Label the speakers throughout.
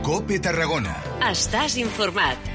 Speaker 1: COPE Tarragona.
Speaker 2: Estàs informat.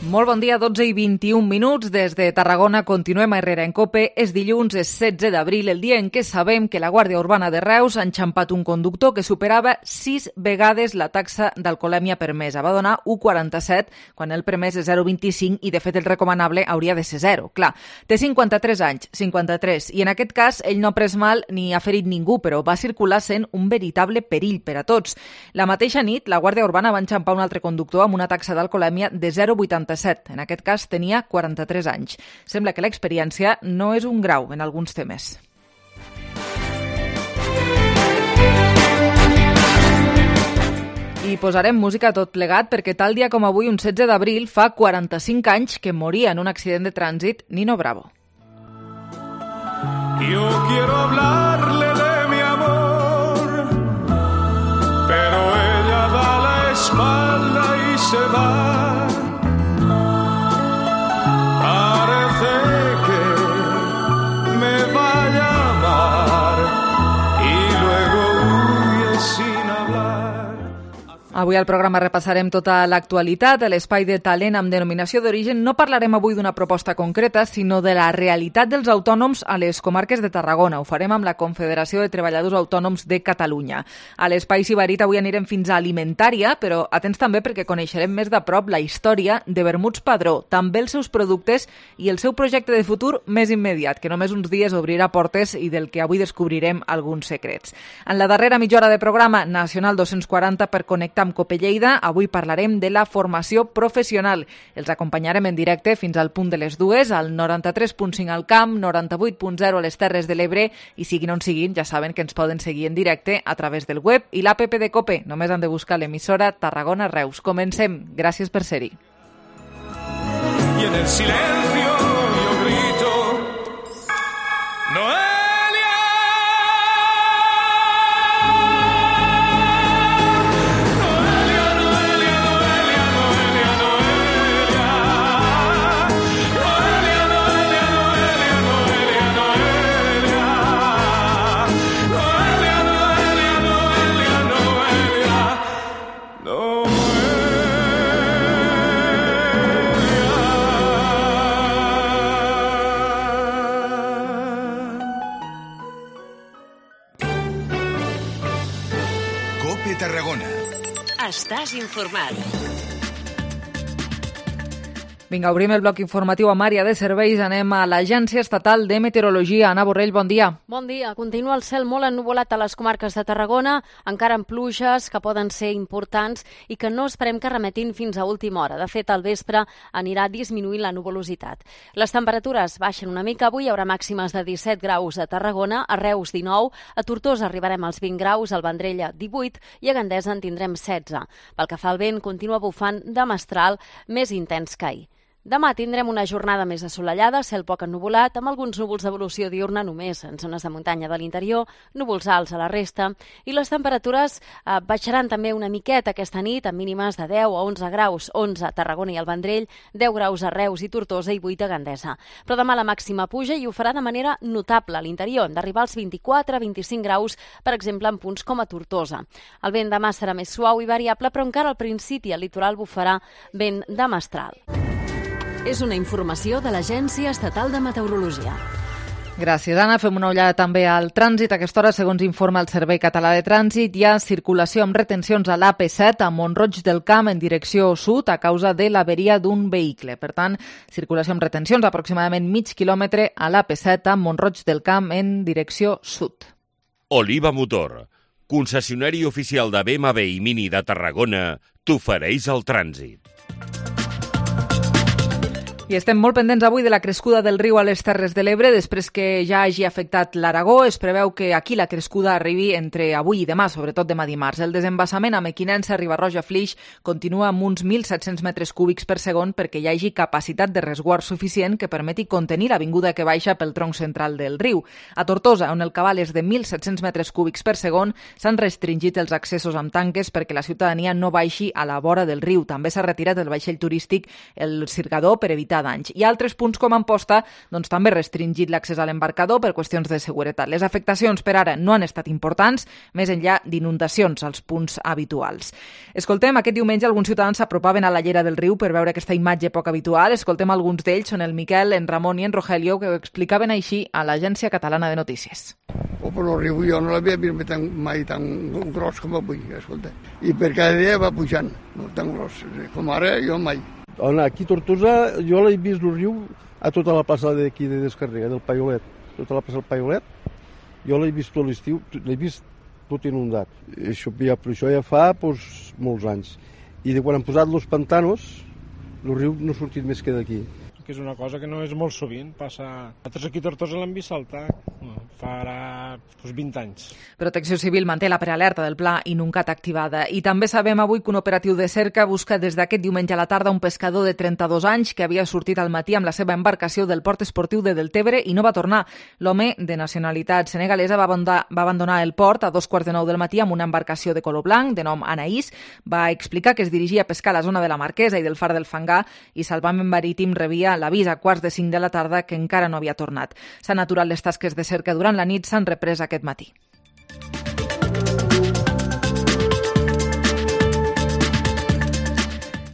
Speaker 3: Molt bon dia, 12 i 21 minuts. Des de Tarragona continuem a Herrera en COPE. És dilluns, és 16 d'abril, el dia en què sabem que la Guàrdia Urbana de Reus ha enxampat un conductor que superava 6 vegades la taxa d'alcoholèmia permesa. Va donar 1,47 quan el permès és 0,25 i, de fet, el recomanable hauria de ser 0. Clar, té 53 anys, 53, i en aquest cas ell no ha pres mal ni ha ferit ningú, però va circular sent un veritable perill per a tots. La mateixa nit, la Guàrdia Urbana va enxampar un altre conductor amb una taxa d'alcoholèmia de 0,87. En aquest cas tenia 43 anys. Sembla que l'experiència no és un grau en alguns temes. I posarem música a tot plegat perquè tal dia com avui, un 16 d'abril, fa 45 anys que moria en un accident de trànsit Nino Bravo.
Speaker 4: Yo quiero hablarle de mi amor, pero ella da la espalda y se va. Parece que me vaya a amar y luego huye sin hablar.
Speaker 3: Avui al programa repassarem tota l'actualitat. A l'espai de talent amb denominació d'origen no parlarem avui d'una proposta concreta, sinó de la realitat dels autònoms a les comarques de Tarragona. Ho farem amb la Confederació de Treballadors Autònoms de Catalunya. A l'espai Sibarit avui anirem fins a Alimentària, però atents també perquè coneixerem més de prop la història de Vermuts Padró, també els seus productes i el seu projecte de futur més immediat, que només uns dies obrirà portes i del que avui descobrirem alguns secrets. En la darrera mitja hora de programa, Nacional 240 per connectar amb COPE Lleida, avui parlarem de la formació professional. Els acompanyarem en directe fins al punt de les 2, al 93.5 al Camp, 98.0 a les Terres de l'Ebre, i siguin on siguin, ja saben que ens poden seguir en directe a través del web i l'APP de COPE. Només han de buscar l'emissora Tarragona Reus. Comencem. Gràcies per ser-hi.
Speaker 4: Y en el silencio yo grito, Noelia.
Speaker 1: COPE Tarragona.
Speaker 2: Estàs informat.
Speaker 3: Vinga, obrim el bloc informatiu amb àrea de serveis. Anem a l'Agència Estatal de Meteorologia. Anna Borrell, bon dia.
Speaker 5: Bon dia. Continua el cel molt ennuvolat a les comarques de Tarragona, encara amb pluges que poden ser importants i que no esperem que remetin fins a última hora. De fet, al vespre anirà disminuint la nuvolositat. Les temperatures baixen una mica. Avui hi haurà màximes de 17 graus a Tarragona, a Reus 19, a Tortosa arribarem als 20 graus, al Vendrell 18 i a Gandesa en tindrem 16. Pel que fa al vent, continua bufant de mestral més intens que ahir. Demà tindrem una jornada més assolellada, cel poc ennuvolat, amb alguns núvols d'evolució diurna només en zones de muntanya de l'interior, núvols alts a la resta, i les temperatures baixaran també una miqueta aquesta nit, amb mínimes de 10 a 11 graus, 11 a Tarragona i al Vendrell, 10 graus a Reus i Tortosa i 8 a Gandesa. Però demà la màxima puja i ho farà de manera notable a l'interior, d'arribar als 24-25 graus, per exemple, en punts com a Tortosa. El vent demà serà més suau i variable, però encara al principi al litoral bufarà vent de mestral.
Speaker 2: És una informació de l'Agència Estatal de Meteorologia.
Speaker 3: Gràcies, Anna. Fem una ullada també al trànsit. A aquesta hora, segons informa el Servei Català de Trànsit, hi ha circulació amb retencions a l'AP7 a Mont-roig del Camp en direcció sud a causa de l'averia d'un vehicle. Per tant, circulació amb retencions aproximadament mig quilòmetre a l'AP7 a Mont-roig del Camp en direcció sud.
Speaker 6: Oliva Motor, concessionari oficial de BMW i Mini de Tarragona, t'ofereix el trànsit.
Speaker 3: I estem molt pendents avui de la crescuda del riu a les Terres de l'Ebre. Després que ja hagi afectat l'Aragó, es preveu que aquí la crescuda arribi entre avui i demà, sobretot demà dimarts. El desembassament a Mequinensa, Riba-roja, Flix, continua amb uns 1.700 metres cúbics per segon perquè hi hagi capacitat de resguard suficient que permeti contenir la vinguda que baixa pel tronc central del riu. A Tortosa, on el cabal és de 1.700 metres cúbics per segon, s'han restringit els accessos amb tanques perquè la ciutadania no baixi a la vora del riu. També s'ha retirat el vaixell turístic El Cirgador per evitar evitar danys. I altres punts com Amposta doncs, també restringit l'accés a l'embarcador per qüestions de seguretat. Les afectacions per ara no han estat importants, més enllà d'inundacions als punts habituals. Escoltem, aquest diumenge alguns ciutadans s'apropaven a la llera del riu per veure aquesta imatge poc habitual. Escoltem alguns d'ells, són el Miquel, en Ramon i en Rogelio, que ho explicaven així a l'Agència Catalana de Notícies.
Speaker 7: Per el riu jo no l'havia vist mai tan gros com avui, escolta. I per cada dia va pujant, no tan gros, com ara jo mai.
Speaker 8: Aquí a Tortosa jo l'he vist el riu a tota la plaça d'aquí de Descarrega, del Paiolet. Tota la plaça del Paiolet, jo l'he vist tot l'estiu, l'he vist tot inundat. Això ja fa molts anys. I de quan han posat els pantanos, el riu no ha sortit més que d'aquí.
Speaker 9: Que és una cosa que no és molt sovint, passa... Nosaltres aquí a Tortosa l'hem vist saltar fa ara 20 anys.
Speaker 3: Protecció Civil manté la prealerta del pla Inuncat activada. I també sabem avui que un operatiu de cerca busca des d'aquest diumenge a la tarda un pescador de 32 anys que havia sortit al matí amb la seva embarcació del port esportiu de Deltebre i no va tornar. L'home, de nacionalitat senegalesa, va abandonar el port a 2:45 del matí amb una embarcació de color blanc, de nom Anaïs. Va explicar que es dirigia a pescar a la zona de la Marquesa i del Far del Fangar i Salvament Marítim rebia l'avís a 4:45 de la tarda que encara no havia tornat. S'han aturat les tasques de cerca durant la nit, s'han reprès aquest matí.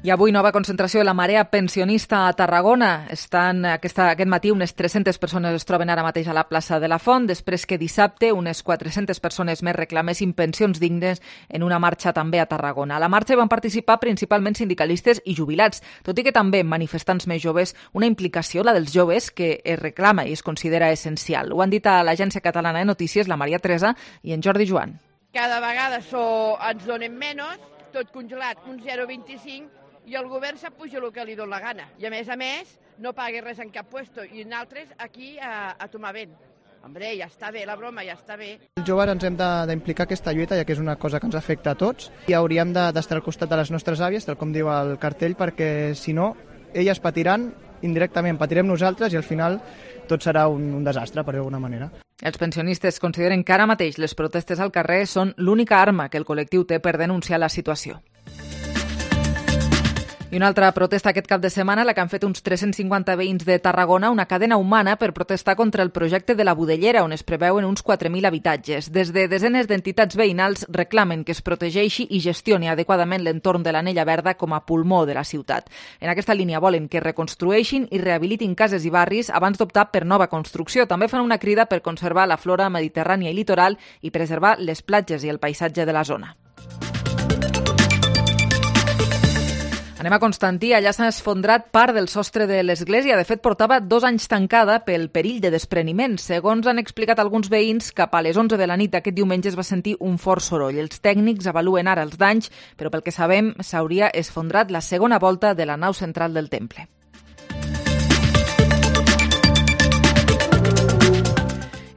Speaker 3: I avui nova concentració de la marea pensionista a Tarragona. Aquest matí unes 300 persones es troben ara mateix a la plaça de la Font, després que dissabte unes 400 persones més reclamessin pensions dignes en una marxa també a Tarragona. A la marxa van participar principalment sindicalistes i jubilats, tot i que també manifestants més joves, una implicació, la dels joves, que es reclama i es considera essencial. Ho han dit a l'Agència Catalana de Notícies la Maria Teresa i en Jordi Joan.
Speaker 10: Cada vegada ens donen menys, tot congelat, un 0,25, i el govern s'apuja el que li dona la gana. I a més, no paga res en cap puesto. I nosaltres aquí a tomar vent. Hombre, ja està bé, la broma ja està bé.
Speaker 11: Els joves ens hem d'implicar aquesta lluita, ja que és una cosa que ens afecta a tots, i hauríem d'estar al costat de les nostres àvies, tal com diu el cartell, perquè si no, elles patiran, indirectament patirem nosaltres i al final tot serà un desastre, per d'alguna manera.
Speaker 3: Els pensionistes consideren que ara mateix les protestes al carrer són l'única arma que el col·lectiu té per denunciar la situació. I una altra protesta aquest cap de setmana, la que han fet uns 350 veïns de Tarragona, una cadena humana per protestar contra el projecte de la Budellera, on es preveuen uns 4.000 habitatges. Des de desenes d'entitats veïnals reclamen que es protegeixi i gestioni adequadament l'entorn de l'Anella Verda com a pulmó de la ciutat. En aquesta línia volen que reconstrueixin i rehabilitin cases i barris abans d'optar per nova construcció. També fan una crida per conservar la flora mediterrània i litoral i preservar les platges i el paisatge de la zona. Anem a Constantí, allà s'ha esfondrat part del sostre de l'església. De fet, portava 2 anys tancada pel perill de despreniment. Segons han explicat alguns veïns, cap a les 11 de la nit d'aquest diumenge es va sentir un fort soroll. Els tècnics avaluen ara els danys, però pel que sabem s'hauria esfondrat la segona volta de la nau central del temple.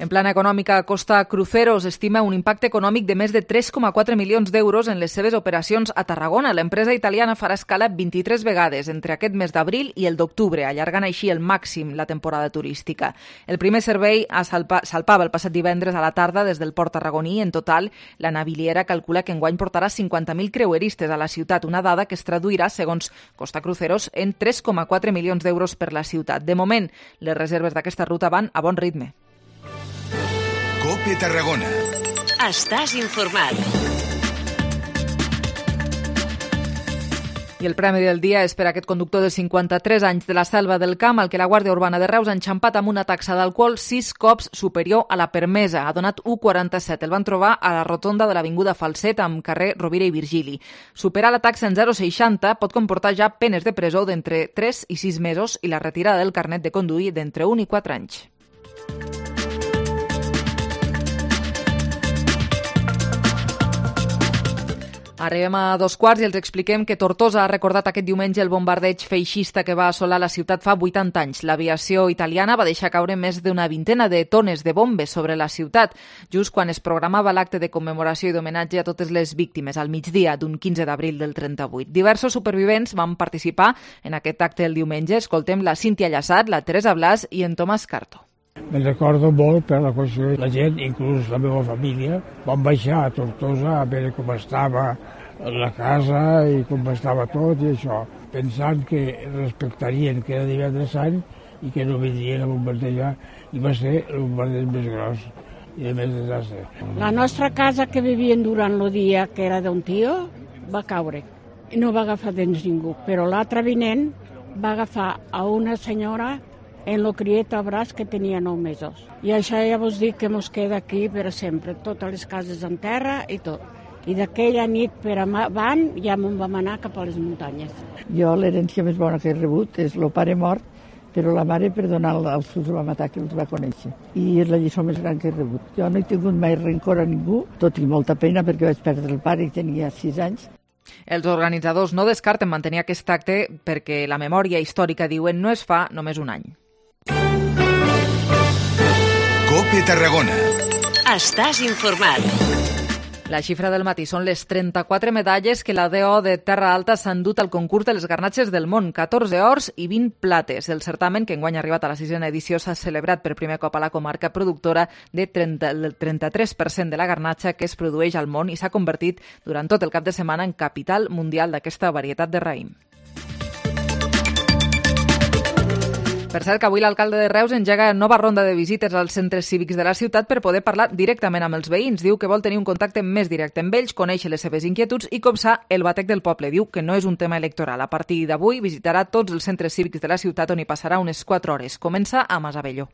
Speaker 3: En plana econòmica, Costa Cruceros estima un impacte econòmic de més de 3,4 milions d'euros en les seves operacions a Tarragona. L'empresa italiana farà escala 23 vegades entre aquest mes d'abril i el d'octubre, allargant així el màxim la temporada turística. El primer servei salpava el passat divendres a la tarda des del port tarragoní. En total, la naviliera calcula que enguany portarà 50.000 creueristes a la ciutat, una dada que es traduirà, segons Costa Cruceros, en 3,4 milions d'euros per la ciutat. De moment, les reserves d'aquesta ruta van a bon ritme.
Speaker 1: COPE Tarragona.
Speaker 2: Estàs informat.
Speaker 3: I el premi del dia és per aquest conductor de 53 anys de la Selva del Camp, al que la Guàrdia Urbana de Reus ha enxampat amb una taxa d'alcohol 6 cops superior a la permesa. Ha donat 1,47. El van trobar a la rotonda de l'Avinguda Falset amb carrer Rovira i Virgili. Superar la taxa en 0,60 pot comportar ja penes de presó d'entre 3 i 6 mesos i la retirada del carnet de conduir d'entre 1 i 4 anys. Arribem a 2:15 i els expliquem que Tortosa ha recordat aquest diumenge el bombardeig feixista que va assolar la ciutat fa 80 anys. L'aviació italiana va deixar caure més d'una vintena de tones de bombes sobre la ciutat, just quan es programava l'acte de commemoració i d'homenatge a totes les víctimes, al migdia d'un 15 d'abril del 38. Diversos supervivents van participar en aquest acte el diumenge. Escoltem la Cíntia Llassat, la Teresa Blas i en Tomàs Carto.
Speaker 12: Me'n recordo molt per la qüestió de la gent, inclús la meva família. Vam baixar a Tortosa a veure com estava la casa i com estava tot i això, pensant que respectarien que era divendres sant i que no vindrien a bombardejar, i va ser el bombardeig més gros i de més desastre.
Speaker 13: La nostra casa que vivien durant el dia, que era d'un tio, va caure. No va agafar dins ningú, però l'altre vinent va agafar a una senyora en lo criet al braç que tenia 9 mesos. I això ja vos dic que mos queda aquí per sempre, totes les cases en terra i tot. I d'aquella nit per avant ja me'n vam anar cap a les muntanyes.
Speaker 14: Jo l'herència més bona que he rebut és el pare mort, però la mare per donar als que els va matar, que els va conèixer. I és la lliçó més gran que he rebut. Jo no he tingut mai rencor a ningú, tot i molta pena perquè vaig perdre el pare i tenia 6 anys.
Speaker 3: Els organitzadors no descarten mantenir aquest acte perquè la memòria històrica, diuen, no es fa només un any.
Speaker 1: COPE Tarragona.
Speaker 2: Estàs informat.
Speaker 3: La xifra del matí són les 34 medalles que la DO de Terra Alta s'ha endut al concurs de les garnatxes del món, 14 ors i 20 plates. El certamen, que enguany ha arribat a la 6a edició, s'ha celebrat per primer cop a la comarca, productora del 33% de la garnatxa que es produeix al món, i s'ha convertit durant tot el cap de setmana en capital mundial d'aquesta varietat de raïm. Per cert, que avui l'alcalde de Reus engega nova ronda de visites als centres cívics de la ciutat per poder parlar directament amb els veïns. Diu que vol tenir un contacte més directe amb ells, conèixer les seves inquietuds i copsar el batec del poble. Diu que no és un tema electoral. A partir d'avui visitarà tots els centres cívics de la ciutat, on hi passarà unes 4 hores. Comença a Masabelló.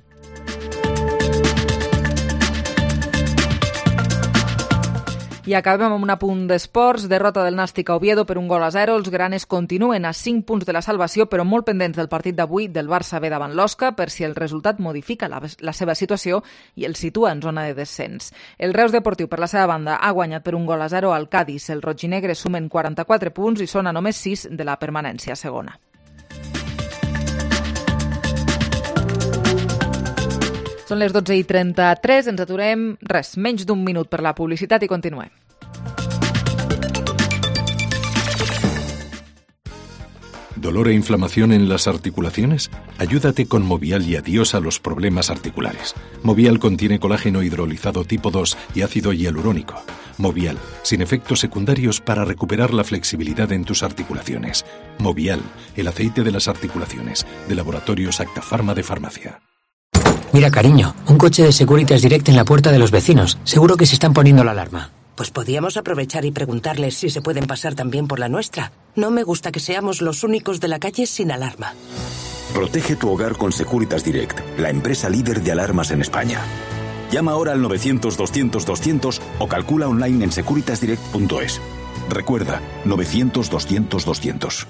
Speaker 3: I acabem amb un apunt d'esports. Derrota del Nàstic a Oviedo per 1-0. Els granes continuen a 5 punts de la salvació, però molt pendents del partit d'avui del Barça B davant l'Osca, per si el resultat modifica la seva situació i el situa en zona de descens. El Reus Deportiu, per la seva banda, ha guanyat per 1-0 al Cádiz. Els rojinegres sumen 44 punts i són a només 6 de la permanència segona. Són les 12:33, ens aturem, menys d'un minut per la publicitat i continuem.
Speaker 15: ¿Dolor e inflamación en las articulaciones? Ayúdate con Movial y adiós a los problemas articulares. Movial contiene colágeno hidrolizado tipo 2 y ácido hialurónico. Movial, sin efectos secundarios para recuperar la flexibilidad en tus articulaciones. Movial, el aceite de las articulaciones, de Laboratorios Acta Pharma de Farmacia.
Speaker 16: Mira, cariño, un coche de Securitas Direct en la puerta de los vecinos. Seguro que se están poniendo la alarma.
Speaker 17: Pues podíamos aprovechar y preguntarles si se pueden pasar también por la nuestra. No me gusta que seamos los únicos de la calle sin alarma.
Speaker 18: Protege tu hogar con Securitas Direct, la empresa líder de alarmas en España. Llama ahora al 900-200-200 o calcula online en securitasdirect.es. Recuerda, 900-200-200.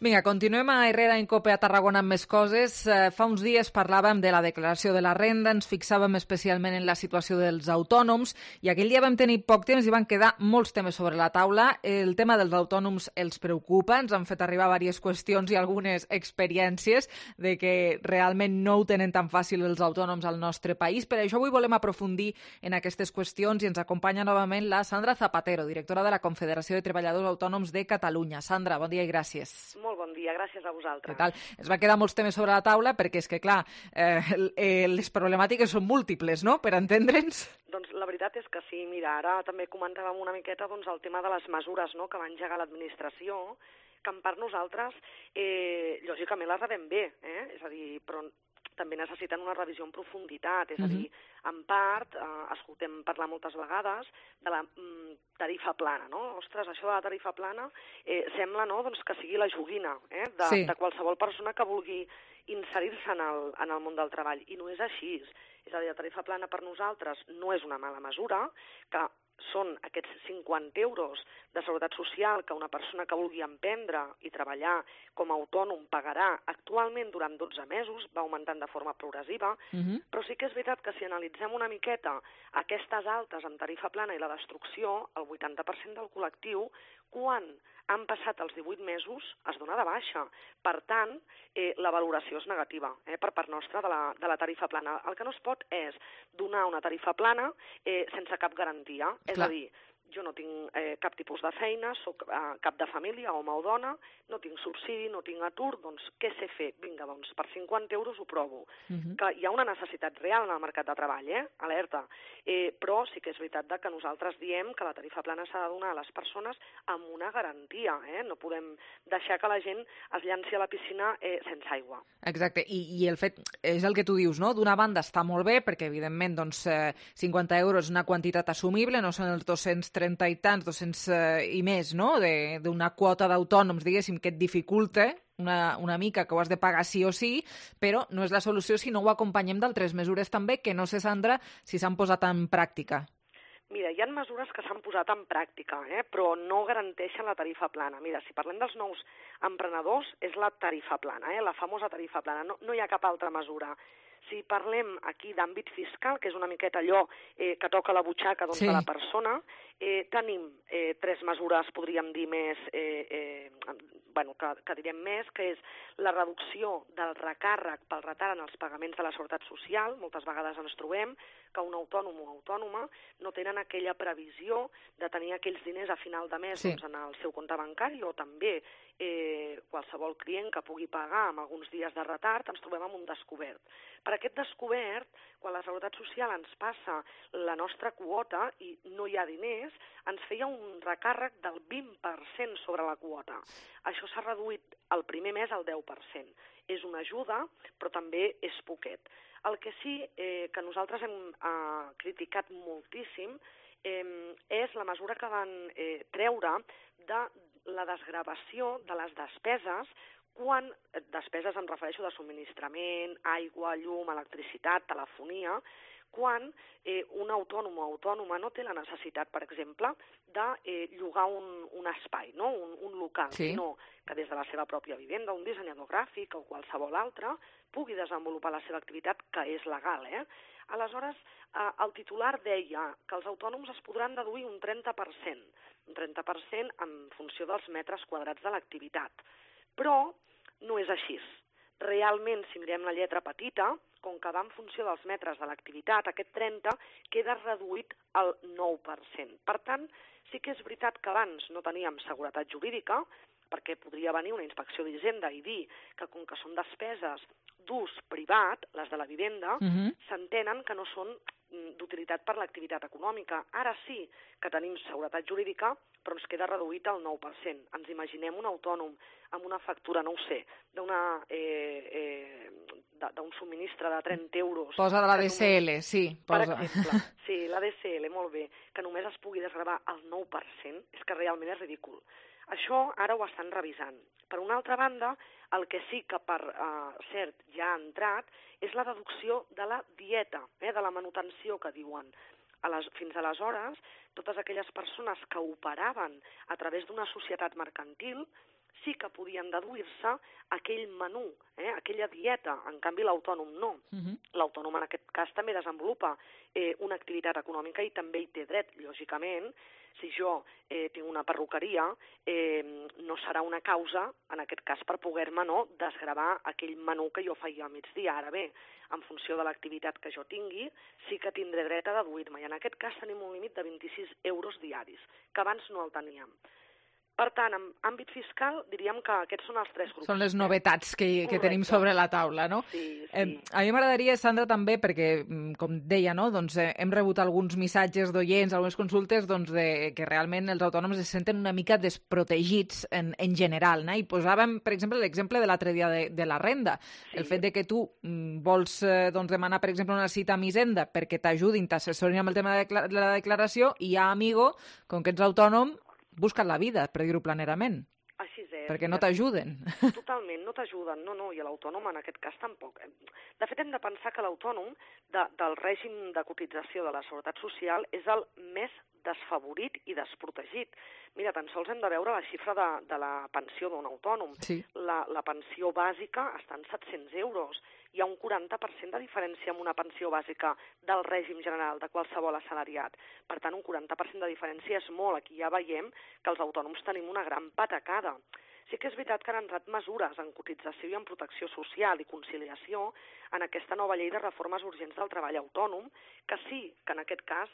Speaker 3: Vinga, continuem a Herrera en Cope a Tarragona amb més coses. Fa uns dies parlàvem de la declaració de la renda, ens fixàvem especialment en la situació dels autònoms i aquell dia vam tenir poc temps i van quedar molts temes sobre la taula. El tema dels autònoms els preocupa, ens han fet arribar diverses qüestions i algunes experiències de que realment no ho tenen tan fàcil els autònoms al nostre país. Per això avui volem aprofundir en aquestes qüestions i ens acompanya novament la Sandra Zapatero, directora de la Confederació de Treballadors Autònoms de Catalunya. Sandra, bon dia i gràcies.
Speaker 19: Molt bon dia, gràcies a vosaltres.
Speaker 3: Què tal? Es va quedar molts temes sobre la taula perquè és que, clar, les problemàtiques són múltiples, no?, per entendre'ns.
Speaker 19: Doncs la veritat és que sí. Mira, ara també comentàvem una miqueta el tema de les mesures, no?, que va engegar l'administració, que en part nosaltres, lògicament les rebem bé, és a dir, però també necessiten una revisió en profunditat, és a dir, en part, escoltem parlar moltes vegades de la tarifa plana, no? Ostres, això de la tarifa plana sembla, no?, doncs que sigui la joguina de qualsevol persona que vulgui inserir-se en el món del treball, i no és així. És a dir, la tarifa plana per nosaltres no és una mala mesura, que són aquests 50 euros de seguretat social que una persona que vulgui emprendre i treballar com a autònom pagarà actualment durant 12 mesos, va augmentant de forma progressiva, però sí que és veritat que si analitzem una miqueta aquestes altes amb tarifa plana i la destrucció, el 80% del col·lectiu, quan han passat els 18 mesos, es dona de baixa. Per tant, la valoració és negativa per part nostra de la tarifa plana. El que no es pot és donar una tarifa plana sense cap garantia. És a dir, jo no tinc cap tipus de feina, soc cap de família, home o dona, no tinc subsidi, no tinc atur, doncs què sé fer? Vinga, doncs per 50 euros ho provo. Que hi ha una necessitat real en el mercat de treball, alerta. Però sí que és veritat que nosaltres diem que la tarifa plana s'ha de donar a les persones amb una garantia. No podem deixar que la gent es llanci a la piscina sense aigua.
Speaker 3: Exacte, i el fet, és el que tu dius, no? D'una banda està molt bé, perquè evidentment 50 euros és una quantitat assumible, no són els 230 i tants, 200 i més, no? D'una quota d'autònoms, diguéssim, que et dificulta una mica, que ho has de pagar sí o sí, però no és la solució si no ho acompanyem d'altres mesures també, que no sé, Sandra, si s'han posat en pràctica.
Speaker 19: Mira, hi ha mesures que s'han posat en pràctica, però no garanteixen la tarifa plana. Mira, si parlem dels nous emprenedors, és la tarifa plana, la famosa tarifa plana. No hi ha cap altra mesura. Si parlem aquí d'àmbit fiscal, que és una miqueta allò que toca la butxaca de la persona, tenim 3 mesures, podríem dir més, que direm més, que és la reducció del recàrrec pel retard en els pagaments de la Seguretat Social. Moltes vegades ens trobem que un autònom o autònoma no tenen aquella previsió de tenir aquells diners a final de mes en el seu compte bancari, o també qualsevol client que pugui pagar amb alguns dies de retard, ens trobem amb un descobert. Per aquest descobert, quan la Seguretat Social ens passa la nostra quota i no hi ha diners, ens feia un recàrrec del 20% sobre la quota. Això s'ha reduït el primer mes al 10%. És una ajuda, però també és poquet. El que sí que nosaltres hem criticat moltíssim és la mesura que van treure de la desgravació de les despeses, quan despeses em refereixo de subministrament, aigua, llum, electricitat, telefonia, quan un autònom o autònoma no té la necessitat, per exemple, de llogar un espai, un local, sinó que des de la seva pròpia vivenda, un dissenyador gràfic o qualsevol altre, pugui desenvolupar la seva activitat, que és legal. Aleshores, el titular deia que els autònoms es podran deduir un 30% en funció dels metres quadrats de l'activitat. Però no és així. Realment, si mirem la lletra petita, com que va en funció dels metres de l'activitat, aquest 30 queda reduït al 9%. Per tant, sí que és veritat que abans no teníem seguretat jurídica, perquè podria venir una inspecció d'Hisenda i dir que com que són despeses d'ús privat, les de la vivenda, s'entenen que no són d'utilitat per l'activitat econòmica. Ara sí que tenim seguretat jurídica, però ens queda reduït al 9%. Ens imaginem un autònom amb una factura, no ho sé, d'un subministre de 30 euros...
Speaker 3: Posa de la DSL, sí.
Speaker 19: Per exemple, sí, la DSL, molt bé, que només es pugui desgravar al 9%, és que realment és ridícul. Això ara ho estan revisant. Per una altra banda, el que sí que per cert ja ha entrat és la deducció de la dieta, de la manutenció que diuen. Fins aleshores, totes aquelles persones que operaven a través d'una societat mercantil sí que podien deduir-se aquell menú, aquella dieta. En canvi, l'autònom no. L'autònom en aquest cas també desenvolupa una activitat econòmica i també hi té dret, lògicament. Si jo tinc una perruqueria, no serà una causa, en aquest cas, per poder-me desgravar aquell menú que jo feia al migdia. Ara bé, en funció de l'activitat que jo tingui, sí que tindré dret a deduir-me. I en aquest cas tenim un límit de 26 euros diaris, que abans no el teníem. Per tant, en àmbit fiscal, diríem que aquests són els 3 grups.
Speaker 3: Són les novetats que tenim sobre la taula, no?
Speaker 19: Sí.
Speaker 3: A mi m'agradaria, Sandra, també, perquè, com deia, hem rebut alguns missatges d'oients, algunes consultes, que realment els autònoms es senten una mica desprotegits en general, no? I posàvem, per exemple, l'exemple de l'altre dia de la renda. El fet de que tu vols demanar, per exemple, una cita amb Hisenda perquè t'ajudin, t'assessorin amb el tema de la declaració, i ja, amigo, com que ets autònom, busca't la vida, per dir-ho planerament.
Speaker 19: Així és.
Speaker 3: Perquè no t'ajuden.
Speaker 19: Totalment, no t'ajuden. No, i l'autònom en aquest cas tampoc. De fet, hem de pensar que l'autònom del règim de cotització de la Seguretat Social és el més desfavorit i desprotegit. Mira, tan sols hem de veure la xifra de la pensió d'un autònom.
Speaker 3: Sí.
Speaker 19: La pensió bàsica està en 700 euros. Hi ha un 40% de diferència amb una pensió bàsica del règim general de qualsevol assalariat. Per tant, un 40% de diferència és molt. Aquí ja veiem que els autònoms tenim una gran patacada. Sí que és veritat que han entrat mesures en cotització i en protecció social i conciliació en aquesta nova llei de reformes urgents del treball autònom, que sí que en aquest cas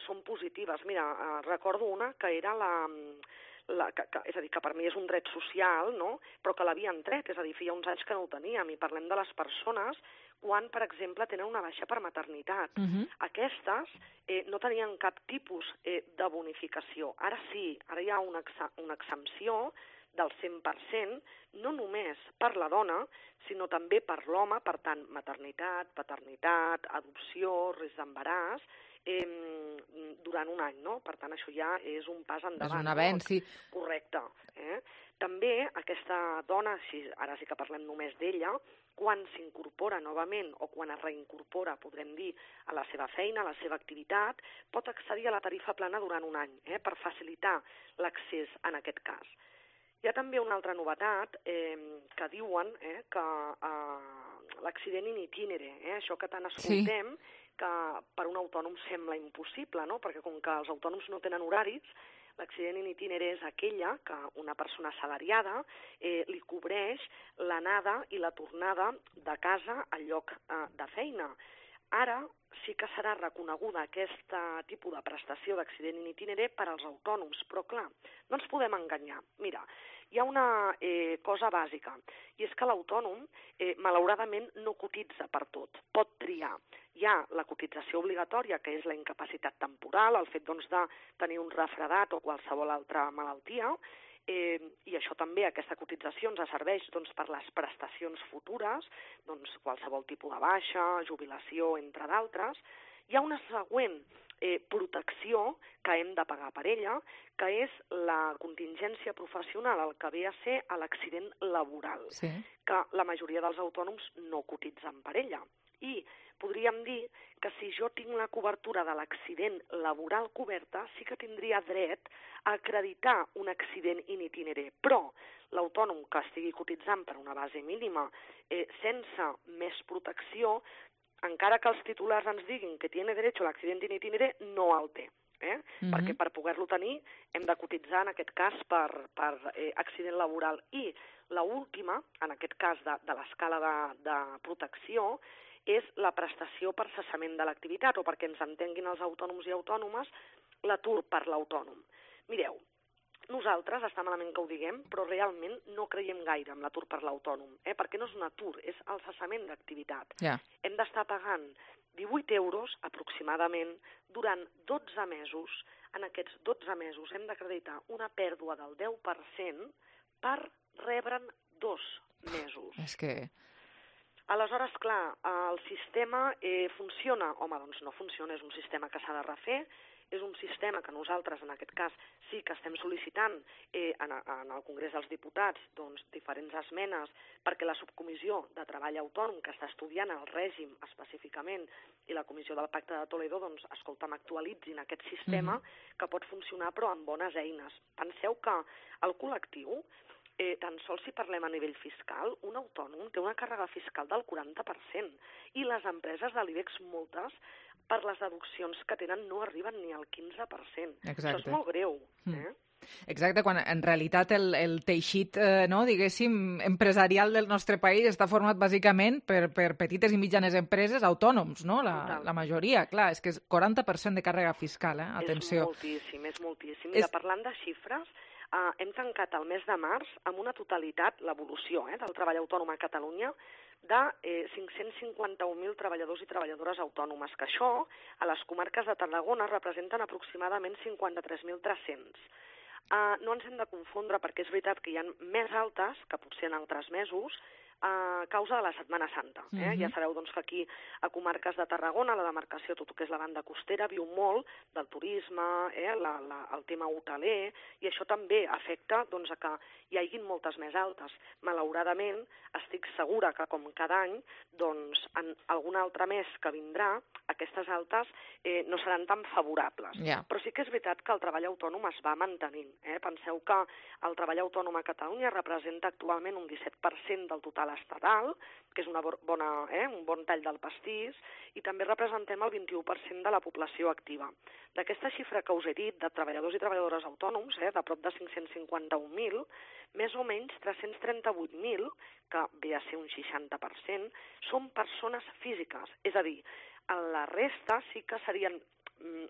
Speaker 19: són positives. Mira, recordo una que era és a dir, que per mi és un dret social, no? Però que l'havien tret, és a dir, feia uns anys que no ho teníem, i parlem de les persones quan, per exemple, tenen una baixa per maternitat. Aquestes no tenien cap tipus de bonificació. Ara sí, ara hi ha una exempció del 100%, no només per la dona, sinó també per l'home, per tant, maternitat, paternitat, adopció, risc d'embaràs, durant un any, no? Per tant, això ja és un pas endavant.
Speaker 3: És un avenç, sí.
Speaker 19: Correcte. També aquesta dona, ara sí que parlem només d'ella, quan s'incorpora novament o quan es reincorpora, podrem dir, a la seva feina, a la seva activitat, pot accedir a la tarifa plana durant un any, per facilitar l'accés en aquest cas. Hi ha també una altra novetat que diuen que l'accident in itinere, això que tant escoltem, que per un autònom sembla impossible, no? Perquè com que els autònoms no tenen horaris, l'accident in itinere és aquella que una persona assalariada li cobreix l'anada i la tornada de casa al lloc de feina. Ara sí que serà reconeguda aquest tipus de prestació d'accident in itinere per als autònoms, però clar, no ens podem enganyar. Mira, hi ha una cosa bàsica, i és que l'autònom malauradament no cotitza per tot, pot triar. Hi ha la cotització obligatòria, que és la incapacitat temporal, el fet de tenir un refredat o qualsevol altra malaltia, i això també, aquesta cotització ens serveix per les prestacions futures, qualsevol tipus de baixa, jubilació, entre d'altres. Hi ha una següent protecció que hem de pagar per ella, que és la contingència professional, el que ve a ser l'accident laboral, que la majoria dels autònoms no cotitzen per ella. I podríem dir que si jo tinc la cobertura de l'accident laboral coberta, sí que tindria dret a acreditar un accident in itinere, però l'autònom que estigui cotitzant per una base mínima sense més protecció, encara que els titulars ens diguin que tiene derecho a l'accident in itinere, no el té. Perquè per poder-lo tenir hem de cotitzar, en aquest cas, per accident laboral. I l'última, en aquest cas de l'escala de protecció, és la prestació per cessament de l'activitat, o perquè ens entenguin els autònoms i autònomes, l'atur per l'autònom. Mireu, nosaltres, està malament que ho diguem, però realment no creiem gaire en l'atur per l'autònom, perquè no és un atur, és el cessament d'activitat. Hem d'estar pagant 18 euros aproximadament durant 12 mesos. En aquests 12 mesos hem d'acreditar una pèrdua del 10% per rebre'n 2 mesos.
Speaker 3: És que...
Speaker 19: Aleshores, clar, el sistema funciona? Home, doncs no funciona, és un sistema que s'ha de refer, és un sistema que nosaltres, en aquest cas, sí que estem sol·licitant en el Congrés dels Diputats diferents esmenes perquè la subcomissió de treball autònom que està estudiant el règim específicament i la comissió del Pacte de Toledo, escolta'm, actualitzin aquest sistema que pot funcionar però amb bones eines. Penseu que el col·lectiu, tan sols si parlem a nivell fiscal, un autònom té una càrrega fiscal del 40% i les empreses de l'IBEX moltes, per les deduccions que tenen, no arriben ni al 15%. Això és molt greu.
Speaker 3: Exacte, quan en realitat el teixit, diguéssim, empresarial del nostre país està format bàsicament per petites i mitjanes empreses autònoms, no? La majoria, clar, és que és 40% de càrrega fiscal, atenció.
Speaker 19: És moltíssim. Mira, parlant de xifres, hem tancat el mes de març amb una totalitat, l'evolució del treball autònom a Catalunya, de 551.000 treballadors i treballadores autònomes, que això, a les comarques de Tarragona, representen aproximadament 53.300. No ens hem de confondre, perquè és veritat que hi ha més altes que potser en altres mesos, a causa de la Setmana Santa. Ja sabeu que aquí, a comarques de Tarragona, la demarcació, tot el que és la banda costera, viu molt del turisme, el tema hoteler, i això també afecta a que hi haguin moltes més altes. Malauradament, estic segura que, com cada any, en algun altre mes que vindrà, aquestes altes no seran tan favorables. Però sí que és veritat que el treball autònom es va mantenint. Penseu que el treball autònom a Catalunya representa actualment un 17% del total l'estatal, que és un bon tall del pastís, i també representem el 21% de la població activa. D'aquesta xifra que us he dit, de treballadors i treballadores autònoms, de prop de 551.000, més o menys 338.000, que ve a ser un 60%, són persones físiques. És a dir, la resta sí que serien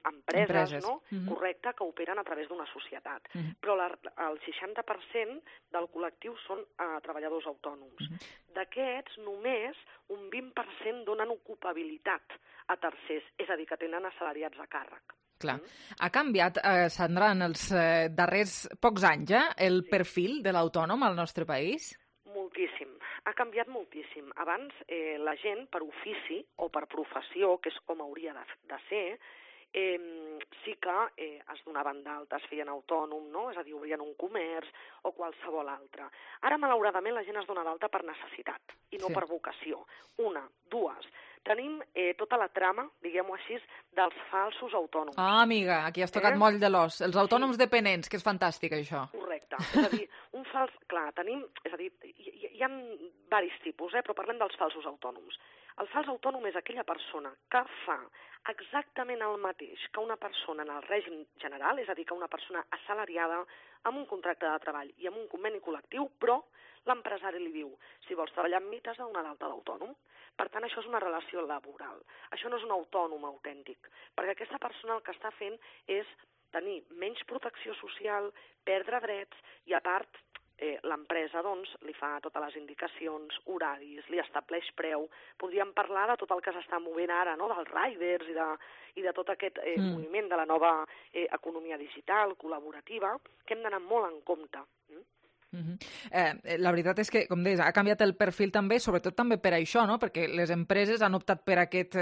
Speaker 19: empreses. No? Correcte, que operen a través d'una societat. Però el 60% del col·lectiu són treballadors autònoms. D'aquests, només un 20% donen ocupabilitat a tercers, és a dir, que tenen assalariats a càrrec.
Speaker 3: Clar. Ha canviat, Sandra, en els darrers pocs anys, el perfil de l'autònom al nostre país?
Speaker 19: Moltíssim. Ha canviat moltíssim. Abans, la gent, per ofici o per professió, que és com hauria de ser, sí que es donaven d'alta, es feien autònom, no? És a dir, obrien un comerç o qualsevol altre. Ara, malauradament, la gent es dona d'alta per necessitat i no per vocació. Una, dues. Tenim tota la trama, diguem-ho així, dels falsos autònoms.
Speaker 3: Ah, amiga, aquí has tocat moll de l'os. Els autònoms dependents, que és fantàstic, això.
Speaker 19: Correcte. És a dir, un fals... Clar, tenim... És a dir, hi ha diversos tipus, però parlem dels falsos autònoms. El fals autònom és aquella persona que fa exactament el mateix que una persona en el règim general, és a dir, que una persona assalariada amb un contracte de treball i amb un conveni col·lectiu, però l'empresari li diu, si vols treballar amb mi t'has de donar d'alta d'autònom. Per tant, això és una relació laboral. Això no és un autònom autèntic, perquè aquesta persona el que està fent és tenir menys protecció social, perdre drets i, a part, l'empresa doncs, li fa totes les indicacions, horaris, li estableix preu. Podríem parlar de tot el que s'està movent ara, no? Dels riders i de tot aquest moviment de la nova economia digital, col·laborativa, que hem d'anar molt en compte.
Speaker 3: La veritat és que, com deies, ha canviat el perfil també, sobretot també per això, no? Perquè les empreses han optat per aquest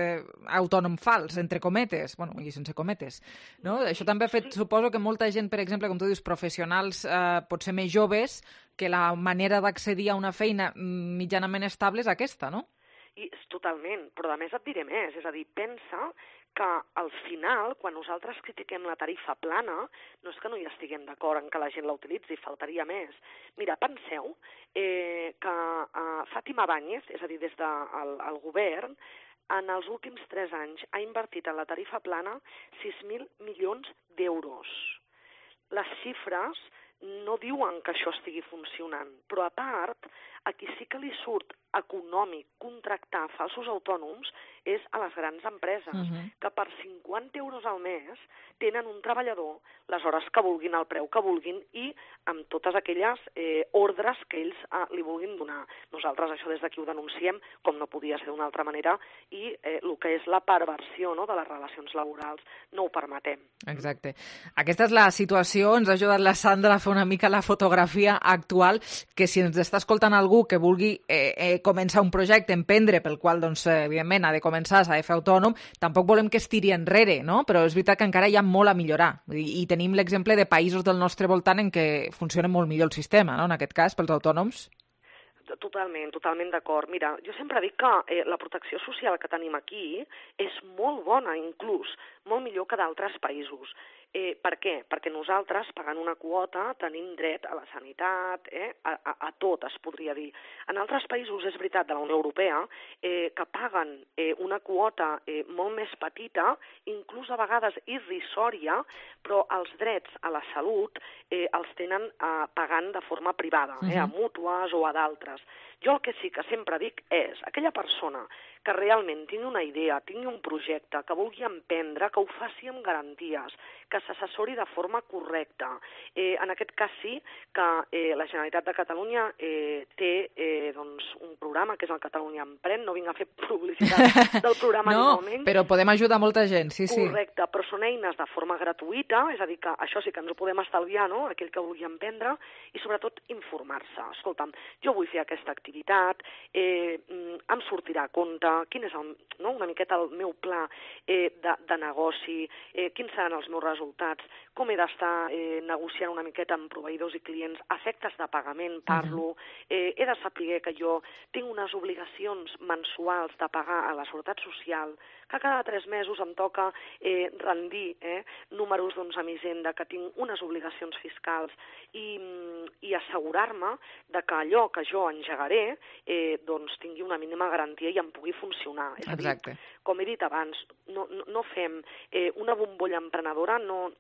Speaker 3: autònom fals, entre cometes, bueno, i sense cometes, no? Això també ha fet, suposo que molta gent, per exemple, com tu dius, professionals potser més joves, que la manera d'accedir a una feina mitjanament estable és aquesta, no?
Speaker 19: Totalment, però a més et diré més, és a dir, pensa que al final, quan nosaltres critiquem la tarifa plana, no és que no hi estiguem d'acord en que la gent la utilitzi, faltaria més. Mira, penseu que Fátima Báñez, és a dir, des del govern, en els últims 3 anys ha invertit en la tarifa plana 6.000 milions d'euros. Les xifres no diuen que això estigui funcionant, però a part, a qui sí que li surt econòmic contractar falsos autònoms és a les grans empreses, que per 50 euros al mes tenen un treballador les hores que vulguin, el preu que vulguin i amb totes aquelles ordres que ells li vulguin donar. Nosaltres això des d'aquí ho denunciem, com no podia ser d'una altra manera, i el que és la perversió de les relacions laborals no ho permetem.
Speaker 3: Exacte. Aquesta és la situació, ens ha ajudat la Sandra a fer una mica la fotografia actual, que si ens està escoltant algú que vulgui començar un projecte, emprendre, pel qual, doncs, evidentment, ha de començar, s'ha de fer autònom, tampoc volem que es tiri enrere, no? Però és veritat que encara hi ha molt a millorar. I tenim l'exemple de països del nostre voltant en què funciona molt millor el sistema, no? En aquest cas, pels autònoms.
Speaker 19: Totalment d'acord. Mira, jo sempre dic que la protecció social que tenim aquí és molt bona, inclús, molt millor que d'altres països. Per què? Perquè nosaltres, pagant una quota, tenim dret a la sanitat, a tot, es podria dir. En altres països, és veritat, de la Unió Europea, que paguen una quota molt més petita, inclús a vegades irrisòria, però els drets a la salut els tenen pagant de forma privada, a mútues o a d'altres. Jo el que sí que sempre dic és, aquella persona que realment tingui una idea, tingui un projecte, que vulgui emprendre, que ho faci amb garanties, que s'assessori de forma correcta. En aquest cas sí que la Generalitat de Catalunya té un programa que és el Catalunya Emprèn, no vinc a fer publicitat del programa ni molt menys.
Speaker 3: No, però podem ajudar molta gent, sí.
Speaker 19: Correcte, però són eines de forma gratuïta, és a dir, que això sí que ens ho podem estalviar, no?, aquell que vulgui emprendre, i sobretot informar-se. Escolta'm, jo vull fer aquesta activitat, em sortirà a compte, quin és una miqueta el meu pla de negoci, quins seran els meus resultats, com he d'estar negociant una miqueta amb proveïdors i clients efectes de pagament, parlo, he de saber que jo tinc unes obligacions mensuals de pagar a la Seguretat Social, que cada 3 mesos em toca rendir números a mi Hisenda, que tinc unes obligacions fiscals i assegurar-me de que allò que jo engegaré tingui una mínima garantia i em pugui funcionar. És a dir, com he dit abans, no fem una bombolla emprenedora, no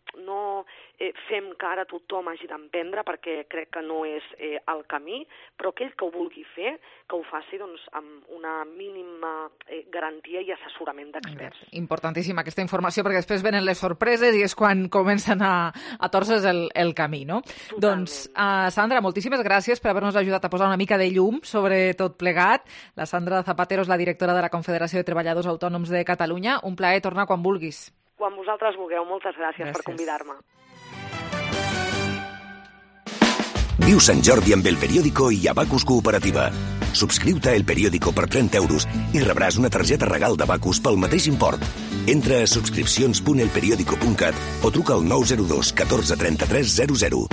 Speaker 19: fem que ara tothom hagi d'emprendre perquè crec que no és el camí, però aquell que ho vulgui fer, que ho faci amb una mínima garantia i assessorament d'experts.
Speaker 3: Importantíssima aquesta informació perquè després venen les sorpreses i és quan comencen a torces el camí, no? Totalment. Doncs, Sandra, moltíssimes gràcies per haver-nos ajudat a posar una mica de llum sobre tot plegat. La Sandra Zapatero és la directora de la Confederació de Treballadors Autònoms de Catalunya. Un plaer tornar quan vulguis.
Speaker 19: Quan vosaltres vulgueu. Moltes gràcies per convidar-me.
Speaker 20: Viu Sant Jordi amb El Periódico i Abacus Cooperativa. Subscriu-te a El Periódico per 30 euros i rebràs una targeta regal d'Abacus pel mateix import. Entra a subscripcions.elperiodico.cat o truca al 902 14 33 00.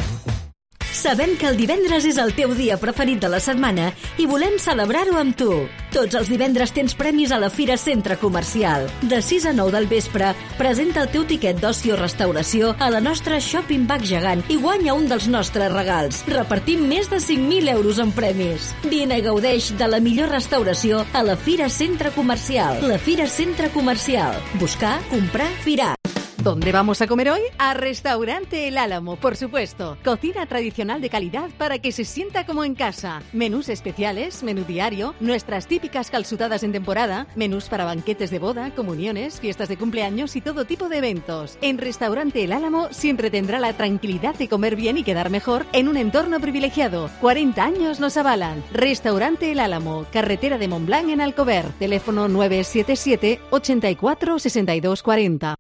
Speaker 21: Sabem que el divendres és el teu dia preferit de la setmana i volem celebrar-ho amb tu. Tots els divendres tens premis a la Fira Centre Comercial. De 6 a 9 del vespre, presenta el teu tiquet d'oci o restauració a la nostra Shopping Bag gegant i guanya un dels nostres regals. Repartim més de 5.000 euros en premis. Vine i gaudeix de la millor restauració a la Fira Centre Comercial. La Fira Centre Comercial. Buscar, comprar, firar.
Speaker 22: ¿Dónde vamos a comer hoy? A Restaurante El Álamo, por supuesto. Cocina tradicional de calidad para que se sienta como en casa. Menús especiales, menú diario, nuestras típicas calzutadas en temporada, menús para banquetes de boda, comuniones, fiestas de cumpleaños y todo tipo de eventos. En Restaurante El Álamo siempre tendrá la tranquilidad de comer bien y quedar mejor en un entorno privilegiado. 40 años nos avalan. Restaurante El Álamo, carretera de Montblanc en Alcover. Teléfono 977 84 62 40.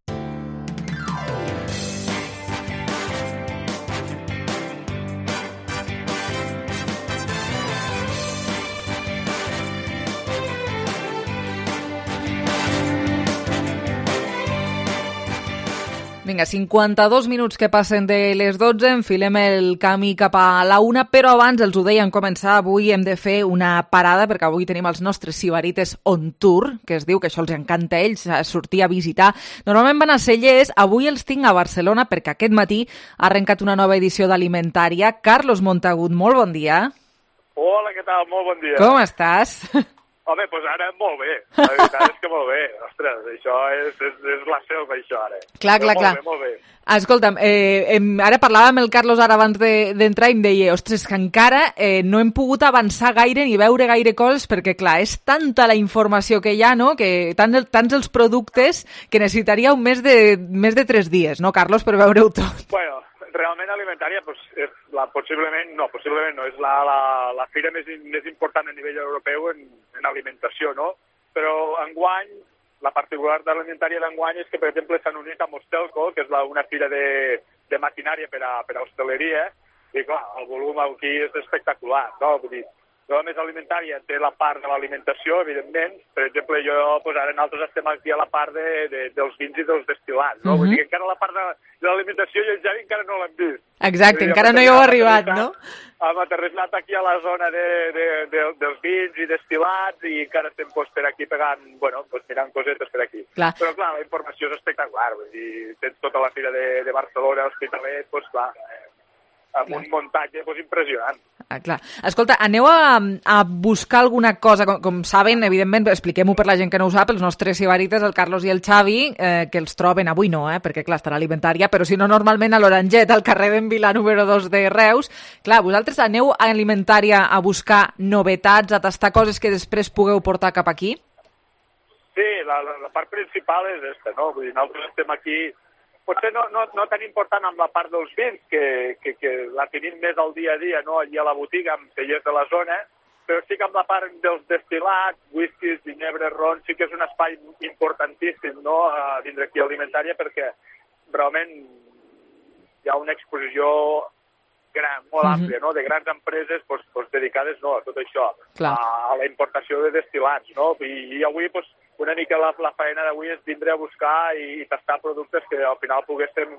Speaker 3: Vinga, 52 minuts que passen de les 12, enfilem el camí cap a la 1, però abans, els ho deia en començar, avui hem de fer una parada, perquè avui tenim els nostres sibarites on tour, que es diu que això els encanta a ells, sortir a visitar. Normalment van a Cellers, avui els tinc a Barcelona, perquè aquest matí ha arrencat una nova edició d'Alimentària. Carlos Montagut, molt bon dia.
Speaker 23: Hola, què tal? Molt bon dia.
Speaker 3: Com estàs?
Speaker 23: Home, doncs ara molt bé. La veritat és que molt bé. Ostres, això és la selva, això, ara.
Speaker 3: Clar.
Speaker 23: Molt bé.
Speaker 3: Escolta'm, ara parlàvem amb el Carlos ara abans d'entrar i em deia, ostres, que encara no hem pogut avançar gaire ni veure gaire coses perquè, clar, és tanta la informació que hi ha, no?, que tants els productes que necessitaríeu més de 3 dies, no, Carlos, per veure-ho tot?
Speaker 23: Bueno, realment Alimentària és possiblement no, és la fira més important a nivell europeu en alimentació, no? Però enguany, la particular de l'Alimentària d'enguany és que, per exemple, s'han unit amb Hostelco, que és una fira de maquinària per a hostaleria, i clar, el volum aquí és espectacular, no? Vull dir, no només Alimentària té la part de l'alimentació, evidentment. Per exemple, ara nosaltres estem aquí a la part dels vins i dels destil·lats, no? Vull dir que encara la part de l'alimentació i el Javi encara no l'hem vist.
Speaker 3: Exacte, encara no hi heu arribat, no?
Speaker 23: Hem aterrissat aquí a la zona dels vins i destil·lats i encara estem per aquí pegant, mirant cosetes per aquí.
Speaker 3: Clar.
Speaker 23: Però clar, la informació és espectacular, vull dir, tens tota la fira de Barcelona, Hospitalet, clar, amb un muntatge impressionant.
Speaker 3: Clar. Escolta, aneu a buscar alguna cosa, com saben, evidentment, expliquem-ho per la gent que no ho sap, els nostres sibarites, el Carlos i el Xavi, que els troben avui no, perquè clar, estarà Alimentària, però si no, normalment a l'Oranget, al carrer d'en Vilà número 2 de Reus. Clar, vosaltres aneu a Alimentària a buscar novetats, a tastar coses que després pugueu portar cap aquí?
Speaker 23: Sí, la part principal és aquesta, no? Vull dir, nosaltres estem aquí potser no tan important amb la part dels vins, que la tenim més al dia a dia, no? Allà a la botiga, amb cellers de la zona, però sí que amb la part dels destil·lats, whiskies, ginebres, rons, sí que és un espai importantíssim, no?, a vindre aquí a Alimentària, perquè realment hi ha una exposició gran, molt àmplia, no?, de grans empreses dedicades a tot això, a la importació de destil·lats, no?, i avui, una mica la feina d'avui és vindre a buscar i tastar productes que al final poguéssim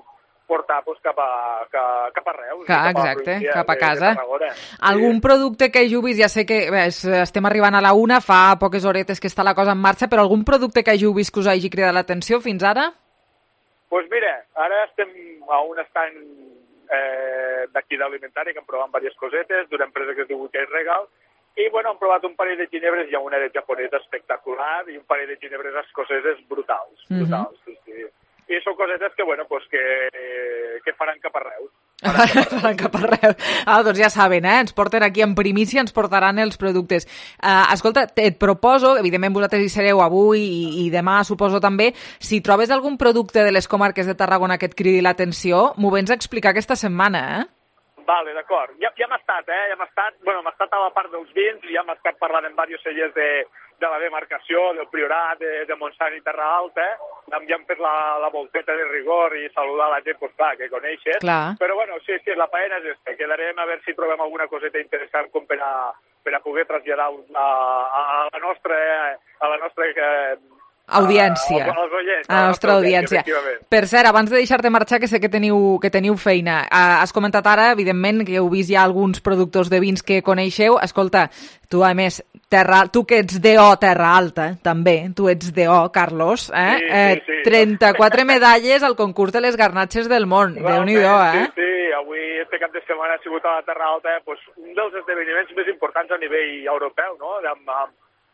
Speaker 23: portar doncs, cap a Reus.
Speaker 3: Exacte, cap a casa.
Speaker 23: De
Speaker 3: Algun producte que hàgiu vist, ja sé que estem arribant a la 1, fa poques horetes que està la cosa en marxa, però algun producte que hàgiu vist que us hagi cridat l'atenció fins ara?
Speaker 23: Doncs mira, ara estem a un estand d'aquí d'alimentari que hem provat diverses cosetes d'una empresa que es diu Weekend Regal, i bueno, hem provat un parell de ginebres, hi ha una de japonesa espectacular i un parell de ginebres escoceses brutals, sí. I són cosetes que, bueno, pues que faran cap a Reus.
Speaker 3: Faran cap a Reus. Doncs ja saben, ens porten aquí en primícia, ens portaran els productes. Escolta, et proposo, evidentment vosaltres hi sereu avui i demà suposo també, si trobes algun producte de les comarques de Tarragona que et cridi l'atenció, m'ho vens a explicar aquesta setmana,
Speaker 23: Vale, d'acord. Ja hem estat, hem estat a la part dels vins, ja hem estat parlant amb diversos cellers de la demarcació, del Priorat, de Montsant i Terra Alta, ja hem fet la volteta de rigor i saludar la gent, doncs clar, que coneixes.
Speaker 3: Clar.
Speaker 23: Però bueno, sí, la faena és esta. Quedarem a veure si trobem alguna coseta interessant com per a poder traslladar a la nostra
Speaker 3: audiència. A la nostra audiència. Per cert, abans de deixar-te marxar, que sé que teniu feina, has comentat ara, evidentment, que heu vist ja alguns productors de vins que coneixeu. Escolta, tu, a més, tu que ets DO Terra Alta, també, tu ets DO, Carlos,
Speaker 23: Sí.
Speaker 3: 34 medalles al concurs de les garnatxes del món. Déu-n'hi-do,
Speaker 23: Sí, avui, este cap de setmana, ha sigut a la Terra Alta un dels esdeveniments més importants a nivell europeu, no?,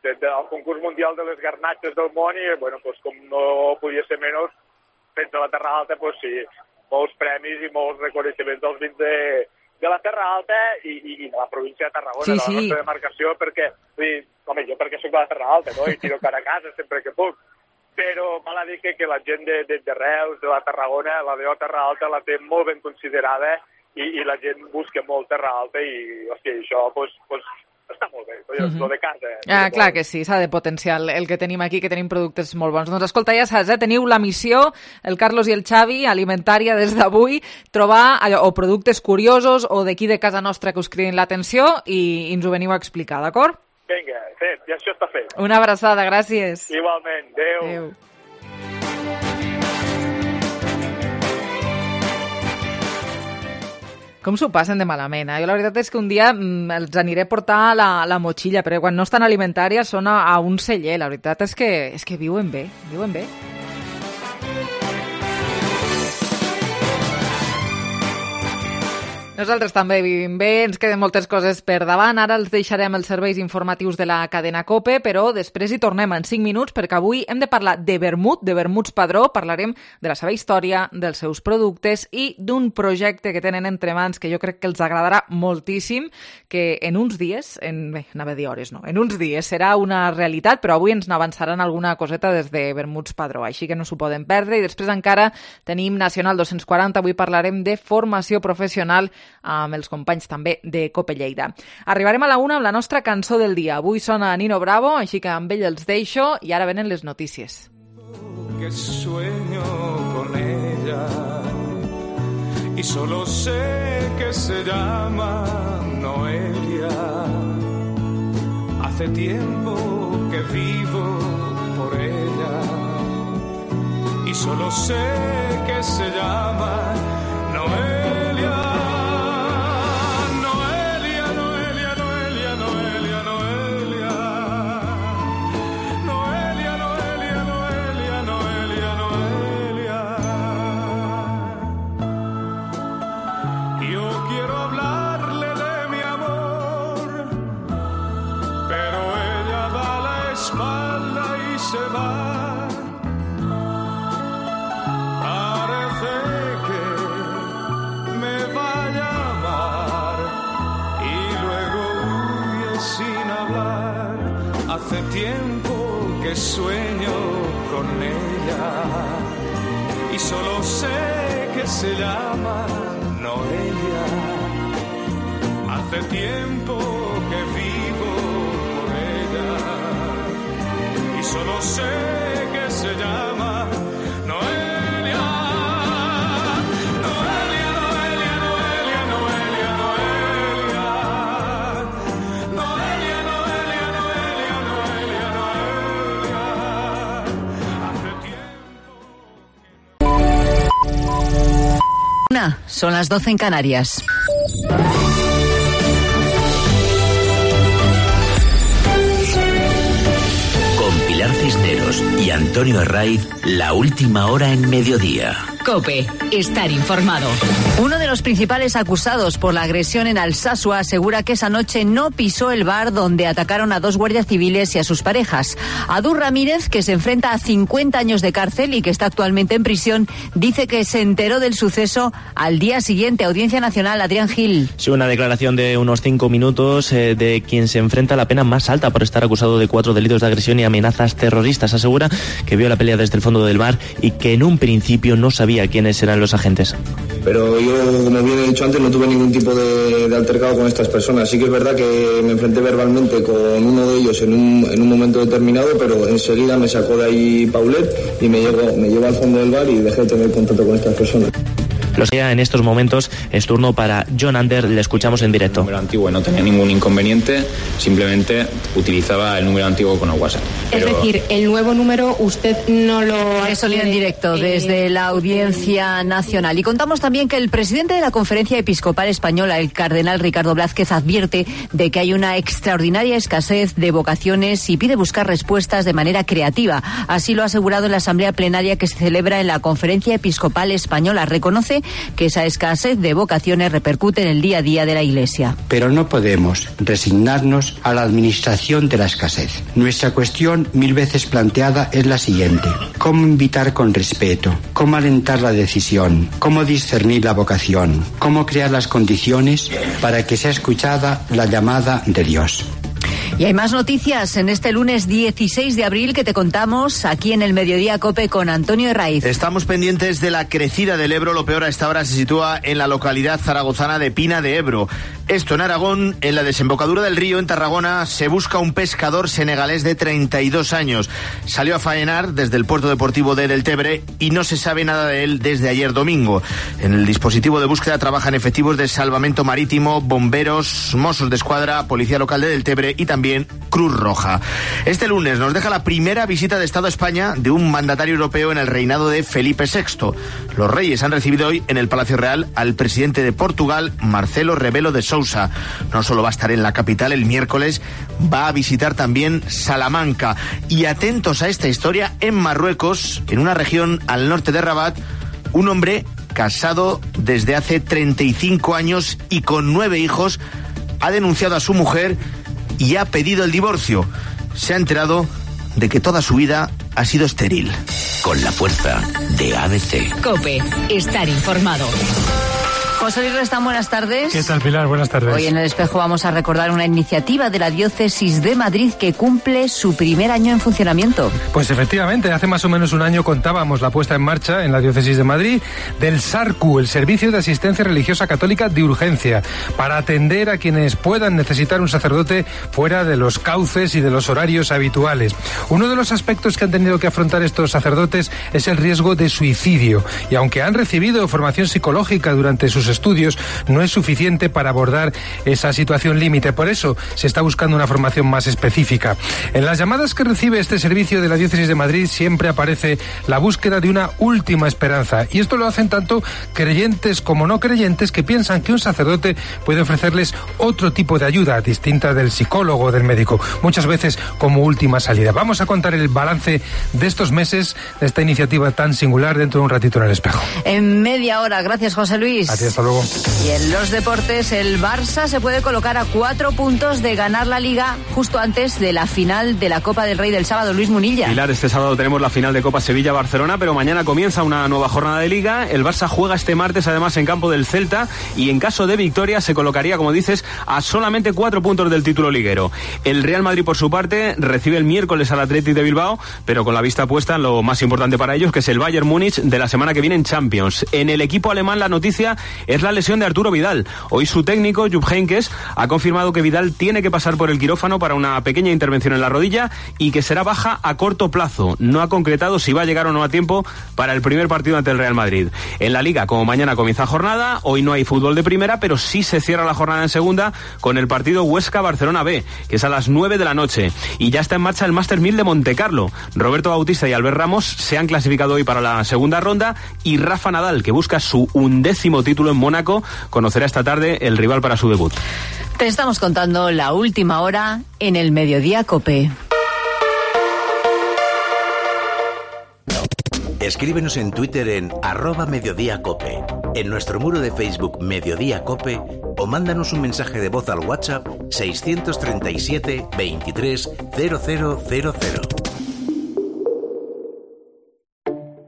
Speaker 23: del concurs mundial de les garnatxes del món, i, bueno, pues, com no podia ser menys, fets a la Terra Alta, pues, sí, molts premis i molts reconeixements dels vins de la Terra Alta i de la província de Tarragona, de la nostra demarcació, perquè, jo perquè soc de la Terra Alta, no?, i tiro cara a casa sempre que puc, però val a dir que la gent de Reus, de la Tarragona, la DO Terra Alta la té molt ben considerada i la gent busca molt Terra Alta i, hòstia, això, pues, està molt bé, lo de casa.
Speaker 3: Clar que sí, s'ha de potenciar el que tenim aquí, que tenim productes molt bons. Doncs escolta, ja saps, teniu la missió, el Carlos i el Xavi, alimentària des d'avui, trobar o productes curiosos o d'aquí de casa nostra que us cridin l'atenció i ens ho veniu a explicar, d'acord?
Speaker 23: Vinga, fet, ja això està fet.
Speaker 3: Una abraçada, gràcies.
Speaker 23: Igualment, adéu.
Speaker 3: Com s'ho passen de malament, Jo la veritat és que un dia els aniré a portar la motxilla, però quan no estan alimentàries són a un celler. La veritat és que viuen bé, viuen bé. Nosaltres també vivim bé, ens queden moltes coses per davant. Ara els deixarem els serveis informatius de la cadena COPE, però després hi tornem en 5 minuts, perquè avui hem de parlar de vermut, de vermuts Padró. Parlarem de la seva història, dels seus productes i d'un projecte que tenen entre mans que jo crec que els agradarà moltíssim, que en uns dies, anava a dir hores, no, en uns dies serà una realitat, però avui ens n'avançaran alguna coseta des de vermuts Padró, així que no s'ho poden perdre. I després encara tenim Nacional 240, avui parlarem de formació professional amb els companys també de Cope Lleida. Arribarem a la 1 amb la nostra cançó del dia. Avui sona Nino Bravo, així que amb ell els deixo i ara venen les notícies.
Speaker 4: Que sueño con ella y solo sé que se llama Noelia. Hace tiempo que vivo por ella y solo sé que se llama Noelia. Hace tiempo que sueño con ella y solo sé que se llama Noelia. Hace tiempo que vivo por ella y solo sé que se llama Noelia.
Speaker 5: Mediodía, son las 12 en Canarias.
Speaker 20: Con Pilar Cisneros y Antonio Herraiz, la última hora en Mediodía.
Speaker 5: COPE, estar informado. Uno de los principales acusados por la agresión en Alsasua asegura que esa noche no pisó el bar donde atacaron a 2 guardias civiles y a sus parejas. Adúr Ramírez, que se enfrenta a 50 años de cárcel y que está actualmente en prisión, dice que se enteró del suceso al día siguiente. Audiencia Nacional, Adrián Gil.
Speaker 6: Sí, una declaración de unos 5 minutos de quien se enfrenta a la pena más alta por estar acusado de 4 delitos de agresión y amenazas terroristas. Asegura que vio la pelea desde el fondo del bar y que en un principio no sabía quiénes eran los agentes.
Speaker 7: Pero yo, como bien he dicho antes, no tuve ningún tipo de altercado con estas personas. Sí que es verdad que me enfrenté verbalmente con uno de ellos en un momento determinado, pero enseguida me sacó de ahí Paulet y me llevó al fondo del bar y dejé de tener contacto con estas personas.
Speaker 6: Los que en estos momentos es turno para John Ander, le escuchamos en directo.
Speaker 24: El número antiguo no tenía ningún inconveniente, simplemente utilizaba el número antiguo con el WhatsApp.
Speaker 25: Es decir, el nuevo número usted no lo...
Speaker 5: Eso en directo desde la Audiencia Nacional. Y contamos también que el presidente de la Conferencia Episcopal Española, el cardenal Ricardo Blázquez, advierte de que hay una extraordinaria escasez de vocaciones y pide buscar respuestas de manera creativa. Así lo ha asegurado en la asamblea plenaria que se celebra en la Conferencia Episcopal Española. Reconoce que esa escasez de vocaciones repercute en el día a día de la Iglesia.
Speaker 26: Pero no podemos resignarnos a la administración de la escasez. Nuestra cuestión, 1000 veces planteada, es la siguiente: ¿cómo invitar con respeto? ¿Cómo alentar la decisión? ¿Cómo discernir la vocación? ¿Cómo crear las condiciones para que sea escuchada la llamada de Dios?
Speaker 5: Y hay más noticias en este lunes 16 de abril que te contamos aquí en el Mediodía COPE con Antonio Herraiz.
Speaker 27: Estamos pendientes de la crecida del Ebro. Lo peor a esta hora se sitúa en la localidad zaragozana de Pina de Ebro. Esto en Aragón, en la desembocadura del río, en Tarragona, se busca un pescador senegalés de 32 años. Salió a faenar desde el puerto deportivo de Deltebre y no se sabe nada de él desde ayer domingo. En el dispositivo de búsqueda trabajan efectivos de salvamento marítimo, bomberos, Mossos de Escuadra, Policía Local de Deltebre y también Cruz Roja. Este lunes nos deja la primera visita de Estado a España de un mandatario europeo en el reinado de Felipe VI. Los reyes han recibido hoy en el Palacio Real al presidente de Portugal, Marcelo Rebelo de Sousa. No solo va a estar en la capital el miércoles, va a visitar también Salamanca. Y atentos a esta historia, en Marruecos, en una región al norte de Rabat, un hombre casado desde hace 35 años y con 9 hijos, ha denunciado a su mujer y ha pedido el divorcio. Se ha enterado de que toda su vida ha sido estéril.
Speaker 20: Con la fuerza de ABC.
Speaker 5: COPE, estar informado. José Luis Restán, buenas tardes.
Speaker 28: ¿Qué tal, Pilar? Buenas tardes.
Speaker 5: Hoy en El Espejo vamos a recordar una iniciativa de la Diócesis de Madrid que cumple su primer año en funcionamiento.
Speaker 28: Pues efectivamente, hace más o menos un año contábamos la puesta en marcha en la Diócesis de Madrid del SARCU, el Servicio de Asistencia Religiosa Católica de Urgencia, para atender a quienes puedan necesitar un sacerdote fuera de los cauces y de los horarios habituales. Uno de los aspectos que han tenido que afrontar estos sacerdotes es el riesgo de suicidio, y aunque han recibido formación psicológica durante sus estudios, no es suficiente para abordar esa situación límite. Por eso se está buscando una formación más específica. En las llamadas que recibe este servicio de la Diócesis de Madrid siempre aparece la búsqueda de una última esperanza, y esto lo hacen tanto creyentes como no creyentes que piensan que un sacerdote puede ofrecerles otro tipo de ayuda distinta del psicólogo o del médico, muchas veces como última salida. Vamos a contar el balance de estos meses de esta iniciativa tan singular dentro de un ratito en El Espejo.
Speaker 5: En media hora. Gracias, José Luis.
Speaker 28: Hasta luego.
Speaker 5: Y en los deportes, el Barça se puede colocar a 4 puntos de ganar la Liga justo antes de la final de la Copa del Rey del sábado. Luis Munilla.
Speaker 29: Pilar, este sábado tenemos la final de Copa Sevilla-Barcelona, pero mañana comienza una nueva jornada de Liga. El Barça juega este martes, además, en campo del Celta, y en caso de victoria se colocaría, como dices, a solamente 4 puntos del título liguero. El Real Madrid, por su parte, recibe el miércoles al Athletic de Bilbao, pero con la vista puesta en lo más importante para ellos, que es el Bayern Múnich de la semana que viene en Champions. En el equipo alemán la noticia es es la lesión de Arturo Vidal. Hoy su técnico, Jupp Heynckes, ha confirmado que Vidal tiene que pasar por el quirófano para una pequeña intervención en la rodilla y que será baja a corto plazo. No ha concretado si va a llegar o no a tiempo para el primer partido ante el Real Madrid. En la Liga, como mañana comienza jornada, hoy no hay fútbol de primera, pero sí se cierra la jornada en segunda con el partido Huesca-Barcelona B, que es a las 9 de la noche. Y ya está en marcha el Master 1000 de Montecarlo. Roberto Bautista y Albert Ramos se han clasificado hoy para la segunda ronda y Rafa Nadal, que busca su 11º título en Mónaco, conocerá esta tarde el rival para su debut.
Speaker 5: Te estamos contando la última hora en el Mediodía COPE.
Speaker 1: Escríbenos en Twitter en @mediodíacope, en nuestro muro de Facebook Mediodía Cope, o mándanos un mensaje de voz al WhatsApp 637 23 0000.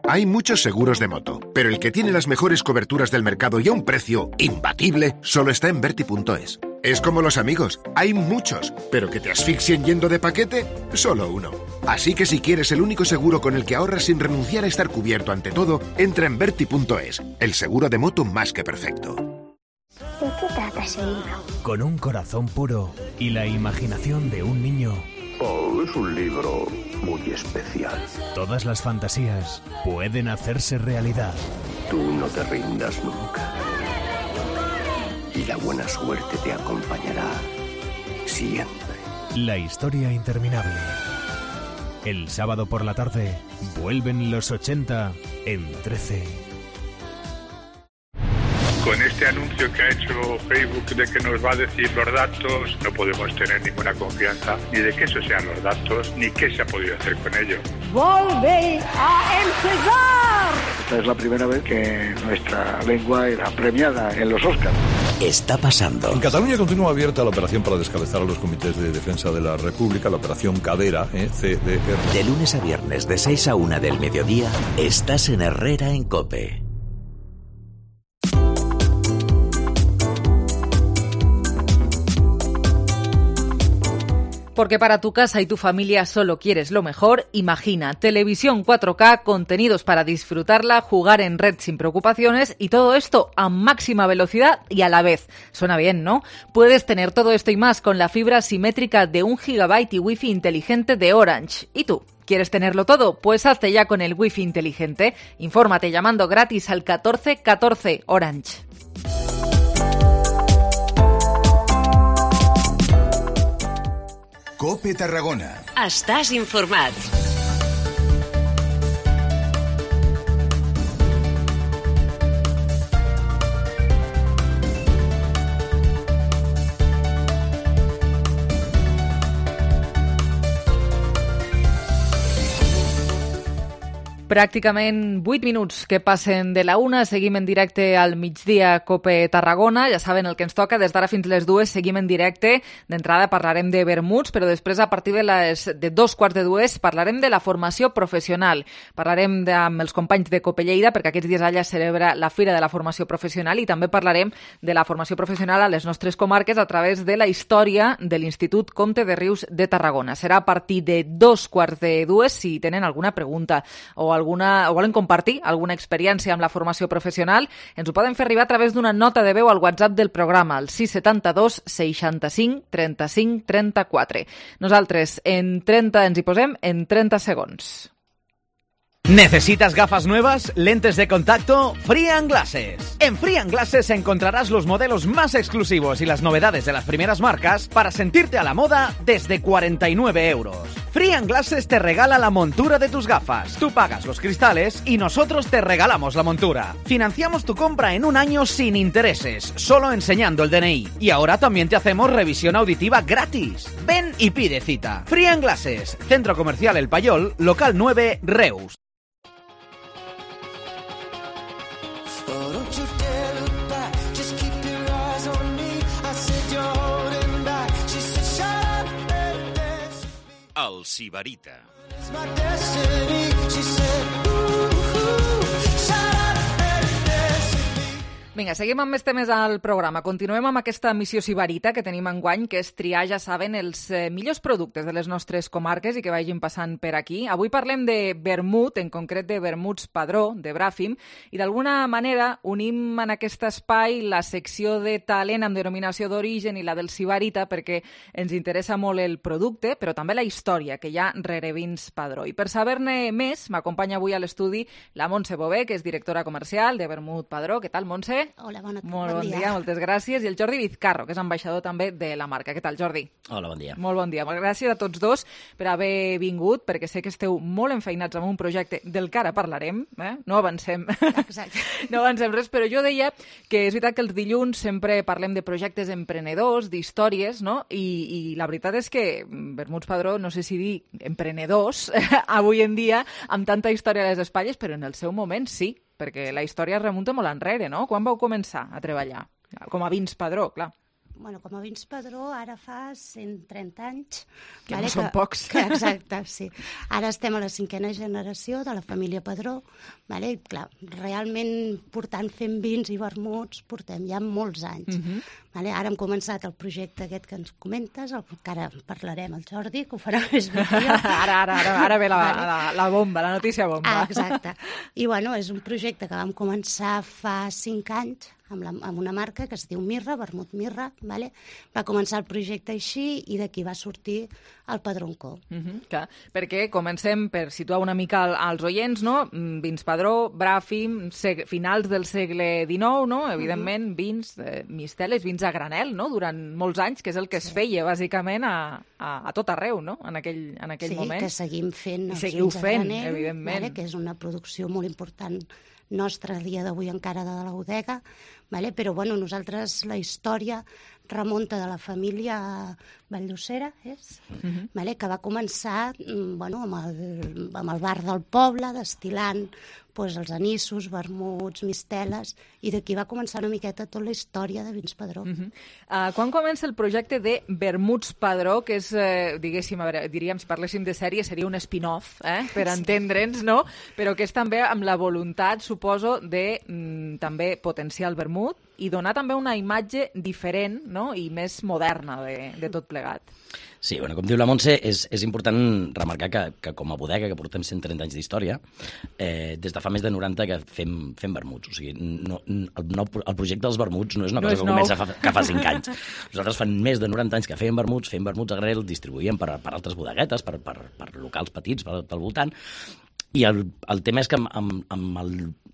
Speaker 2: Hay muchos seguros de moto, pero el que tiene las mejores coberturas del mercado y a un precio imbatible solo está en Verti.es. Es como los amigos, hay muchos, pero que te asfixien yendo de paquete, solo uno. Así que si quieres el único seguro con el que ahorras sin renunciar a estar cubierto ante todo, entra en Verti.es, el seguro de moto más que perfecto.
Speaker 8: ¿De qué trata ese libro?
Speaker 9: Con un corazón puro y la imaginación de un niño.
Speaker 10: Oh, es un libro muy especial.
Speaker 9: Todas las fantasías pueden hacerse realidad.
Speaker 10: Tú no te rindas nunca. Y la buena suerte te acompañará siempre.
Speaker 9: La historia interminable. El sábado por la tarde vuelven los 80 en 13.
Speaker 23: Con este anuncio que ha hecho Facebook de que nos va a decir los datos, no podemos tener ninguna confianza ni de que esos sean los datos, ni qué se ha podido hacer con ello.
Speaker 11: ¡Vuelve a empezar!
Speaker 12: Esta es la primera vez que nuestra lengua era premiada en los Oscars.
Speaker 20: Está pasando.
Speaker 13: En Cataluña continúa abierta la operación para descabezar a los comités de defensa de la República, la operación Cadera, CDR.
Speaker 20: De lunes a viernes, de 6 a 1 del mediodía, estás en Herrera en COPE.
Speaker 3: Porque para tu casa y tu familia solo quieres lo mejor, imagina televisión 4K, contenidos para disfrutarla, jugar en red sin preocupaciones y todo esto a máxima velocidad y a la vez. Suena bien, ¿no? Puedes tener todo esto y más con la fibra simétrica de 1 GB y Wi-Fi inteligente de Orange. ¿Y tú? ¿Quieres tenerlo todo? Pues hazte ya con el Wi-Fi inteligente. Infórmate llamando gratis al 1414 Orange.
Speaker 14: COPE Tarragona.
Speaker 30: Estàs informat.
Speaker 3: Pràcticament 8 minuts que passen de la 1, seguim en directe al migdia COPE Tarragona, ja saben el que ens toca, des d'ara fins les 2 seguim en directe, d'entrada parlarem de vermuts, però després a partir de 2:15 parlarem de la formació professional, parlarem amb els companys de COPE Lleida, perquè aquests dies allà celebra la Fira de la Formació Professional i també parlarem de la formació professional a les nostres comarques a través de la història de l'Institut Comte de Rius de Tarragona. Serà a partir de 2:15 si tenen alguna pregunta o volen compartir alguna experiència amb la formació professional, ens ho poden fer arribar a través d'una nota de veu al WhatsApp del programa, al 672 65 35 34. Nosaltres ens hi posem en 30 segons.
Speaker 31: ¿Necesitas gafas nuevas? ¿Lentes de contacto? Free & Glasses. En Free & Glasses encontrarás los modelos más exclusivos y las novedades de las primeras marcas para sentirte a la moda desde 49 euros. Free & Glasses te regala la montura de tus gafas. Tú pagas los cristales y nosotros te regalamos la montura. Financiamos tu compra en un año sin intereses, solo enseñando el DNI. Y ahora también te hacemos revisión auditiva gratis. Ven y pide cita. Free & Glasses, Centro Comercial El Payol, local 9, Reus.
Speaker 32: El Sibarita.
Speaker 3: Vinga, seguim amb més temes al programa. Continuem amb aquesta missió sibarita que tenim enguany, que és triar, ja saben, els millors productes de les nostres comarques i que vagin passant per aquí. Avui parlem de vermut, en concret de vermuts Padró, de Bràfim, i d'alguna manera unim en aquest espai la secció de talent amb denominació d'origen i la del sibarita perquè ens interessa molt el producte, però també la història que hi ha rere vins Padró. I per saber-ne més, m'acompanya avui a l'estudi la Montse Bové, que és directora comercial de Vermut Padró. Què tal, Montse?
Speaker 4: Hola, bon
Speaker 3: dia, moltes gràcies. I el Jordi Vizcarro, que és ambaixador també de la marca. Què tal, Jordi?
Speaker 7: Hola, bon dia.
Speaker 3: Molt bon dia. Gràcies a tots dos per haver vingut, perquè sé que esteu molt enfeinats amb un projecte del que ara parlarem. No avancem.
Speaker 4: Exacte.
Speaker 3: No avancem res, però jo deia que és veritat que els dilluns sempre parlem de projectes emprenedors, d'històries, no? I la veritat és que Vermuts Padró, no sé si dir emprenedors, avui en dia, amb tanta història a les espatlles, però en el seu moment sí, perquè la història es remunta molt enrere, no? Quan vau començar a treballar? Com a vins Padró, clar.
Speaker 4: Bueno, com a vins Padró ara fa 130 anys.
Speaker 3: Que no són pocs.
Speaker 4: Exacte, sí. Ara estem a la 5a generació de la família Padró. Vale? Clar, realment fent vins i vermuts portem ja molts anys. Vale? Ara hem començat el projecte aquest que ens comentes, que ara parlarem el Jordi, que ho farà més bé que jo.
Speaker 3: Ara ve la bomba, la notícia bomba.
Speaker 4: Exacte. I bueno, és un projecte que vam començar fa 5 anys, amb una marca que es diu Mirra, Vermut Mirra, vale? Va començar el projecte així i d'aquí va sortir el Padroncó.
Speaker 3: Perquè comencem per situar una mica als oients, no? Vins Padró, Bràfim, finals del segle XIX, no? Evidentment, vins, misteles, vins a granel, no? Durant molts anys, que és el que es feia, bàsicament, a tot arreu, no? En aquell moment.
Speaker 4: Sí, que seguim fent els
Speaker 3: vins
Speaker 4: a granel,
Speaker 3: evidentment.
Speaker 4: Vale? Que és una producció molt important nostra a dia d'avui encara de la bodega, vale? Però bueno, nosaltres la història remunta de la família Valldosera, vale? Que va començar amb el bar del poble, destil·lant els anissos, vermuts, misteles, i d'aquí va començar una miqueta tota la història de Vins Padró.
Speaker 3: Quan comença el projecte de Vermuts Padró, que és, diguéssim, diríem, si parléssim de sèrie, seria un spin-off, per entendre'ns, no? Però que és també amb la voluntat, suposo, de també potenciar el vermut i donar també una imatge diferent, no? I més moderna de tot plegat.
Speaker 7: Sí, bueno, com diu la Montse, és important remarcar que com a bodega, que portem 130 anys d'història, des de fa més de 90 que fem vermuts. O sigui, el projecte dels vermuts no és una cosa que comença que fa 5 anys. Nosaltres fan més de 90 anys que fem vermuts a granel, distribuïm per altres bodeguetes, per locals petits, pel voltant. I el tema és que amb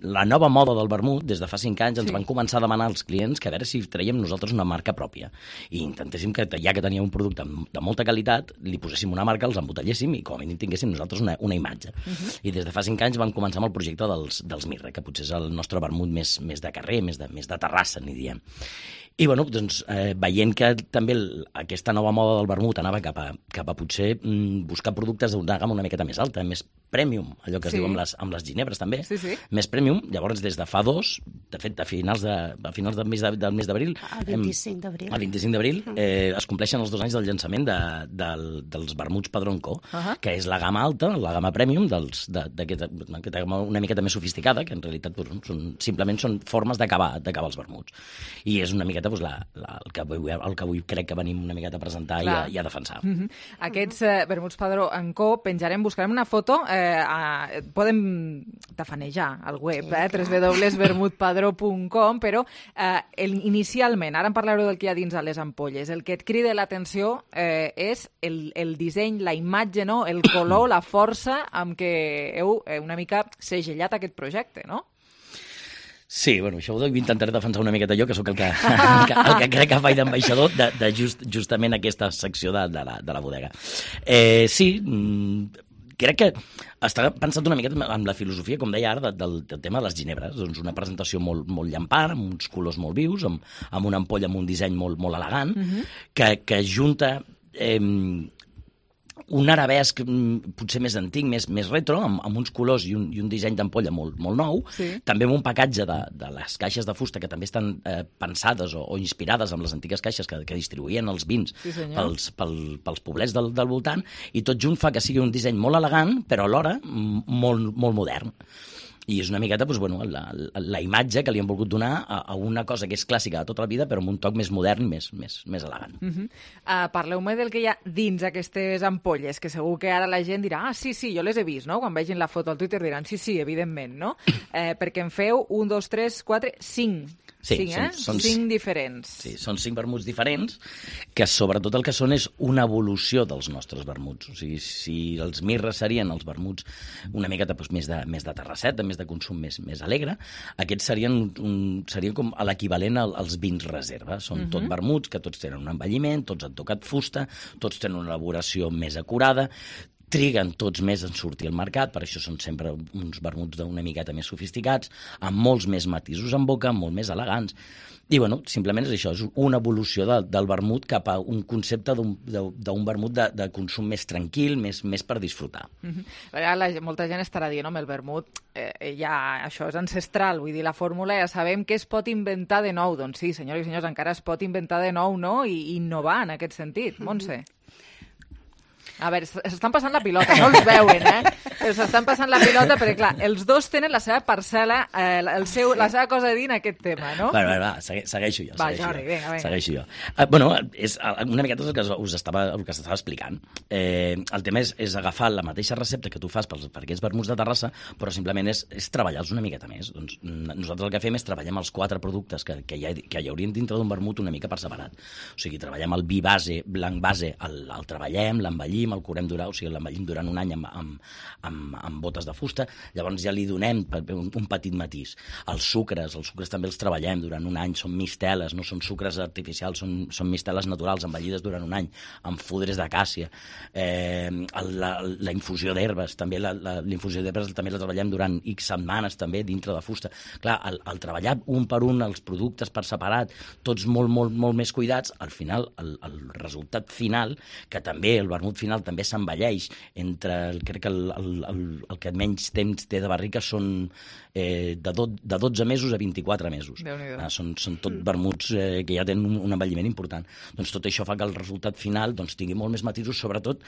Speaker 7: la nova moda del vermut, des de fa 5 anys, ens van començar a demanar als clients que a veure si traiem nosaltres una marca pròpia. I intentéssim que, ja que teníem un producte de molta qualitat, li poséssim una marca, els embotelléssim i com a mínim tinguéssim nosaltres una imatge. I des de fa 5 anys vam començar amb el projecte dels Mirra, que potser és el nostre vermut més de carrer, més de terrassa, n'hi diem. I bueno, doncs, veient que també aquesta nova moda del vermut anava cap a potser buscar productes d'una gamma una miqueta més alta, més premium, allò que es diu amb les ginebres també, més premium. Llavors, des de fa 2, de fet, a finals del mes d'abril,
Speaker 4: el
Speaker 7: 25 d'abril, es compleixen els 2 anys del llançament dels vermuts Padroncó, que és la gamma alta, la gamma premium d'aquesta gamma una miqueta més sofisticada, que en realitat simplement són formes d'acabar els vermuts. I és una miqueta el que avui crec que venim una miqueta a presentar i a defensar.
Speaker 3: Aquests vermuts Padró en Co buscarem una foto, podem tafanejar al web, www.vermutpadró.com, però inicialment, ara en parlareu del que hi ha dins a les ampolles, el que et crida l'atenció és el disseny, la imatge, no? El color, la força amb què heu una mica segellat aquest projecte, no?
Speaker 7: Sí, bueno, això ho intentaré defensar una miqueta jo, que sóc el que crec que faig d'ambaixador de justament aquesta secció de la bodega. Sí, crec que està pensat una miqueta amb la filosofia, com deia ara, del tema de les ginebres. Doncs una presentació molt llampant, amb uns colors molt vius, amb una ampolla amb un disseny molt elegant, que junta un arabesc potser més antic, més retro, amb uns colors i un disseny d'ampolla molt nou, també amb un pacatge de les caixes de fusta que també estan pensades o inspirades amb les antigues caixes que distribuïen els vins pels poblets del voltant, i tot junt fa que sigui un disseny molt elegant, però alhora molt modern. I és una miqueta la imatge que li han volgut donar a una cosa que és clàssica de tota la vida, però amb un toc més modern, més elegant.
Speaker 3: Parleu-me del que hi ha dins aquestes ampolles, que segur que ara la gent dirà sí, jo les he vist, no? Quan vegin la foto al Twitter diran sí, evidentment, no? Perquè en feu 1, 2, 3, 4, 5.
Speaker 7: Sí,
Speaker 3: són 5 diferents.
Speaker 7: Sí, són 5 vermuts diferents, que sobretot el que són és una evolució dels nostres vermuts. O sigui, si els mirres serien els vermuts una miqueta més de terrasseta, més de consum més alegre, aquests serien com l'equivalent als vins reserva. Són tot vermuts que tots tenen un envelliment, tots han tocat fusta, tots tenen una elaboració més acurada, triguen tots més en sortir al mercat, per això són sempre uns vermuts d'una miqueta més sofisticats, amb molts més matisos en boca, molt més elegants. I, simplement és això, és una evolució del vermut cap a un concepte d'un vermut de consum més tranquil, més per disfrutar.
Speaker 3: Molta gent estarà dient, home, el vermut, això és ancestral, vull dir, la fórmula ja sabem que es pot inventar de nou. Doncs sí, senyors i senyors, encara es pot inventar de nou, no?, i innovar en aquest sentit. Montse? A veure, s'estan passant la pilota, no els veuen, s'estan passant la pilota perquè, clar, els dos tenen la seva parcel·la, la seva cosa a dir en aquest tema, no?
Speaker 7: Va, segueixo jo.
Speaker 3: Vinga.
Speaker 7: Segueixo jo. És una miqueta el que us estava explicant. El tema és agafar la mateixa recepta que tu fas per aquests vermuts de Terrassa, però simplement és treballar-los una miqueta més. Doncs nosaltres el que fem és treballem els 4 productes que hi haurien dintre d'un vermut una mica per separat. O sigui, treballem el vi base, blanc base, el treballem, l'envellim, el curem durant, o sigui, l'envellim durant un any amb botes de fusta, llavors ja li donem un petit matís. Els sucres també els treballem durant un any, són misteles, no són sucres artificials, són misteles naturals, envellides durant un any, amb fudres d'acàcia. La infusió d'herbes, també la infusió d'herbes també la treballem durant X setmanes, també, dintre de fusta. Clar, el treballar un per un els productes per separat, tots molt, molt, molt més cuidats, al final, el resultat final, que també el vermut final també s'envelleix crec que el que menys temps té de barrica són de 12 mesos a 24 mesos. Són tot vermuts que ja tenen un envelliment important. Doncs tot això fa que el resultat final tingui molt més matisos, sobretot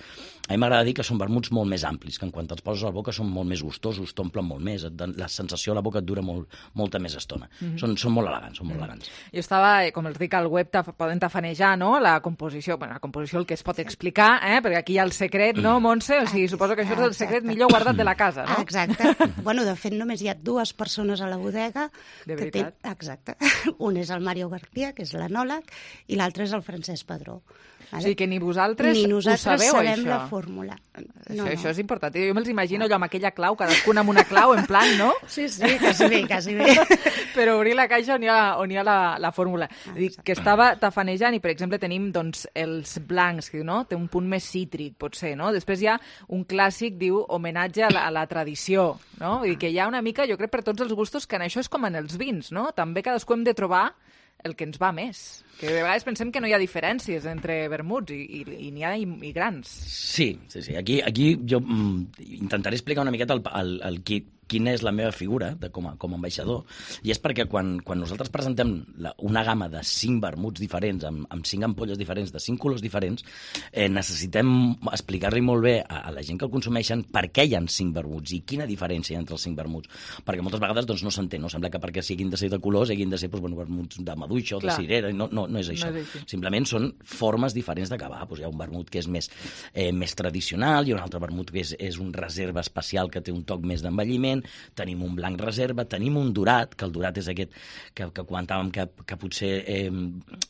Speaker 7: a mi m'agrada dir que són vermuts molt més amplis, que en quan te'ls poses a la boca són molt més gustosos, t'omplen molt més, la sensació a la boca et dura molta més estona. Són molt elegants,
Speaker 3: Jo estava, com els dic al web, poden tafanejar, no?, la composició, el que es pot explicar, perquè aquí hi ha el secret, no, Montse? O sigui, suposo que això és el secret millor guardat de la casa, no?
Speaker 4: Exacte. De fet, només hi ha 2 persones a la bodega.
Speaker 3: De veritat?
Speaker 4: Exacte. Un és el Mario García, que és l'enòleg, i l'altre és el Francesc Padró.
Speaker 3: O sigui que ni vosaltres
Speaker 4: ho sabeu,
Speaker 3: sabem
Speaker 4: la fórmula.
Speaker 3: Això és important. Jo me'ls imagino allò amb aquella clau, cadascuna amb una clau, en plan, no?
Speaker 4: Sí, quasi bé.
Speaker 3: Per obrir la caixa on hi ha la fórmula. Dic que estava tafanejant i, per exemple, tenim els blancs, que no? Té un punt més cítric, potser, no? Després hi ha un clàssic, diu, homenatge a la tradició, no? Vull dir que hi ha una mica, jo crec, per tots els gustos, que en això és com en els vins, no? També cadascú hem de trobar el que ens va més. Que de vegades pensem que no hi ha diferències entre vermuts i n'hi ha i grans.
Speaker 7: Sí. Aquí jo intentaré explicar una miqueta quina és la meva figura com a ambaixador, i és perquè quan nosaltres presentem una gamma de 5 vermuts diferents, amb 5 ampolles diferents, de 5 colors diferents, necessitem explicar-li molt bé a la gent que el consumeixen per què hi ha 5 vermuts i quina diferència hi ha entre els 5 vermuts, perquè moltes vegades no s'entén, no? Sembla que perquè siguin de ser de colors hagin de ser vermuts de maduixa o de cirera, no és això. Simplement són formes diferents d'acabar. Hi ha un vermut que és més tradicional, hi ha un altre vermut que és un reserva especial que té un toc més d'envelliment, tenim un blanc reserva, tenim un dorat, que el dorat és aquest que comentàvem que potser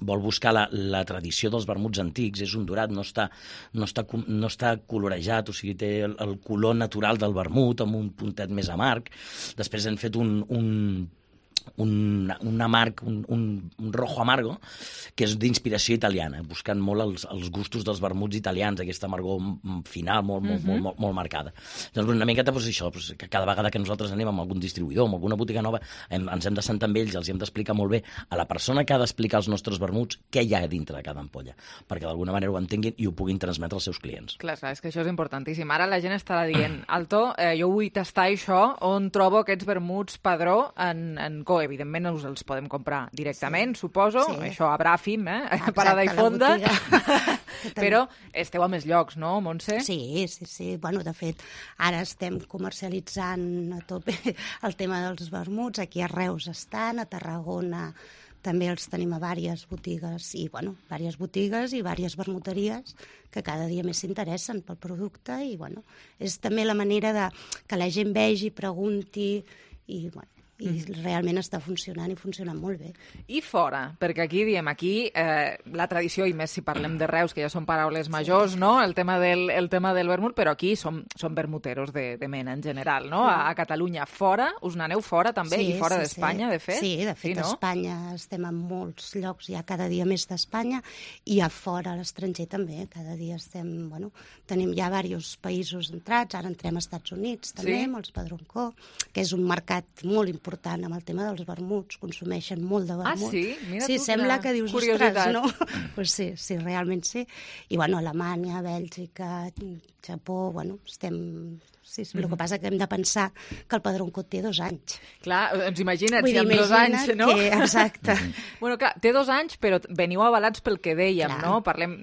Speaker 7: vol buscar la tradició dels vermuts antics, és un dorat, no està colorejat, o sigui, té el color natural del vermut amb un puntet més amarg. Després hem fet un amarg, un rojo amargo, que és d'inspiració italiana, buscant molt els gustos dels vermuts italians, aquesta amargor final molt marcada. Doncs una miqueta això, que cada vegada que nosaltres anem amb algun distribuïdor, amb alguna botiga nova, ens hem de sentar amb ells, els hem d'explicar molt bé a la persona que ha d'explicar els nostres vermuts què hi ha dintre de cada ampolla, perquè d'alguna manera ho entenguin i ho puguin transmetre als seus clients.
Speaker 3: Clar, és que això és importantíssim. Ara la gent estarà dient, Alto, jo vull tastar això, on trobo aquests vermuts Padró en Padroncó, evidentment us els podem comprar directament, suposo, això a Bràfim, Parada i Fonda, però esteu a més llocs, no, Montse?
Speaker 4: Sí. Bueno, de fet, ara estem comercialitzant a tope el tema dels vermuts. Aquí a Reus estan, a Tarragona també els tenim a diverses botigues i diverses vermuteries que cada dia més s'interessen pel producte i, bueno, és també la manera de que la gent vegi, pregunti i, bueno, i realment està funcionant i funcionant molt bé.
Speaker 3: I fora, perquè aquí diem, la tradició, i més si parlem de Reus, que ja són paraules majors, no? El tema del vermut, però aquí som vermuteros de mena en general, no? A Catalunya. Fora, us n'aneu fora també, i fora d'Espanya, de fet?
Speaker 4: Sí, de fet, a Espanya estem en molts llocs, ja cada dia més d'Espanya, i a fora, a l'estranger també, cada dia estem, bueno, tenim ja diversos països entrats, ara entrem als Estats Units també, amb els Padroncó, que és un mercat molt important amb el tema dels vermuts, consumeixen molt de vermut.
Speaker 3: Ah, sí? Mira tu,
Speaker 4: sembla que dius, ostres, no? Pues sí, realment sí. I, bueno, Alemanya, Bèlgica, Japó, bueno, estem... Sí, el que passa que hem de pensar que el Padroncó té 2 anys.
Speaker 3: Clar, doncs imagina't, si amb 2 anys, no?
Speaker 4: Exacte.
Speaker 3: Bueno, clar, té 2 anys, però veniu avalats pel que dèiem, no? Parlem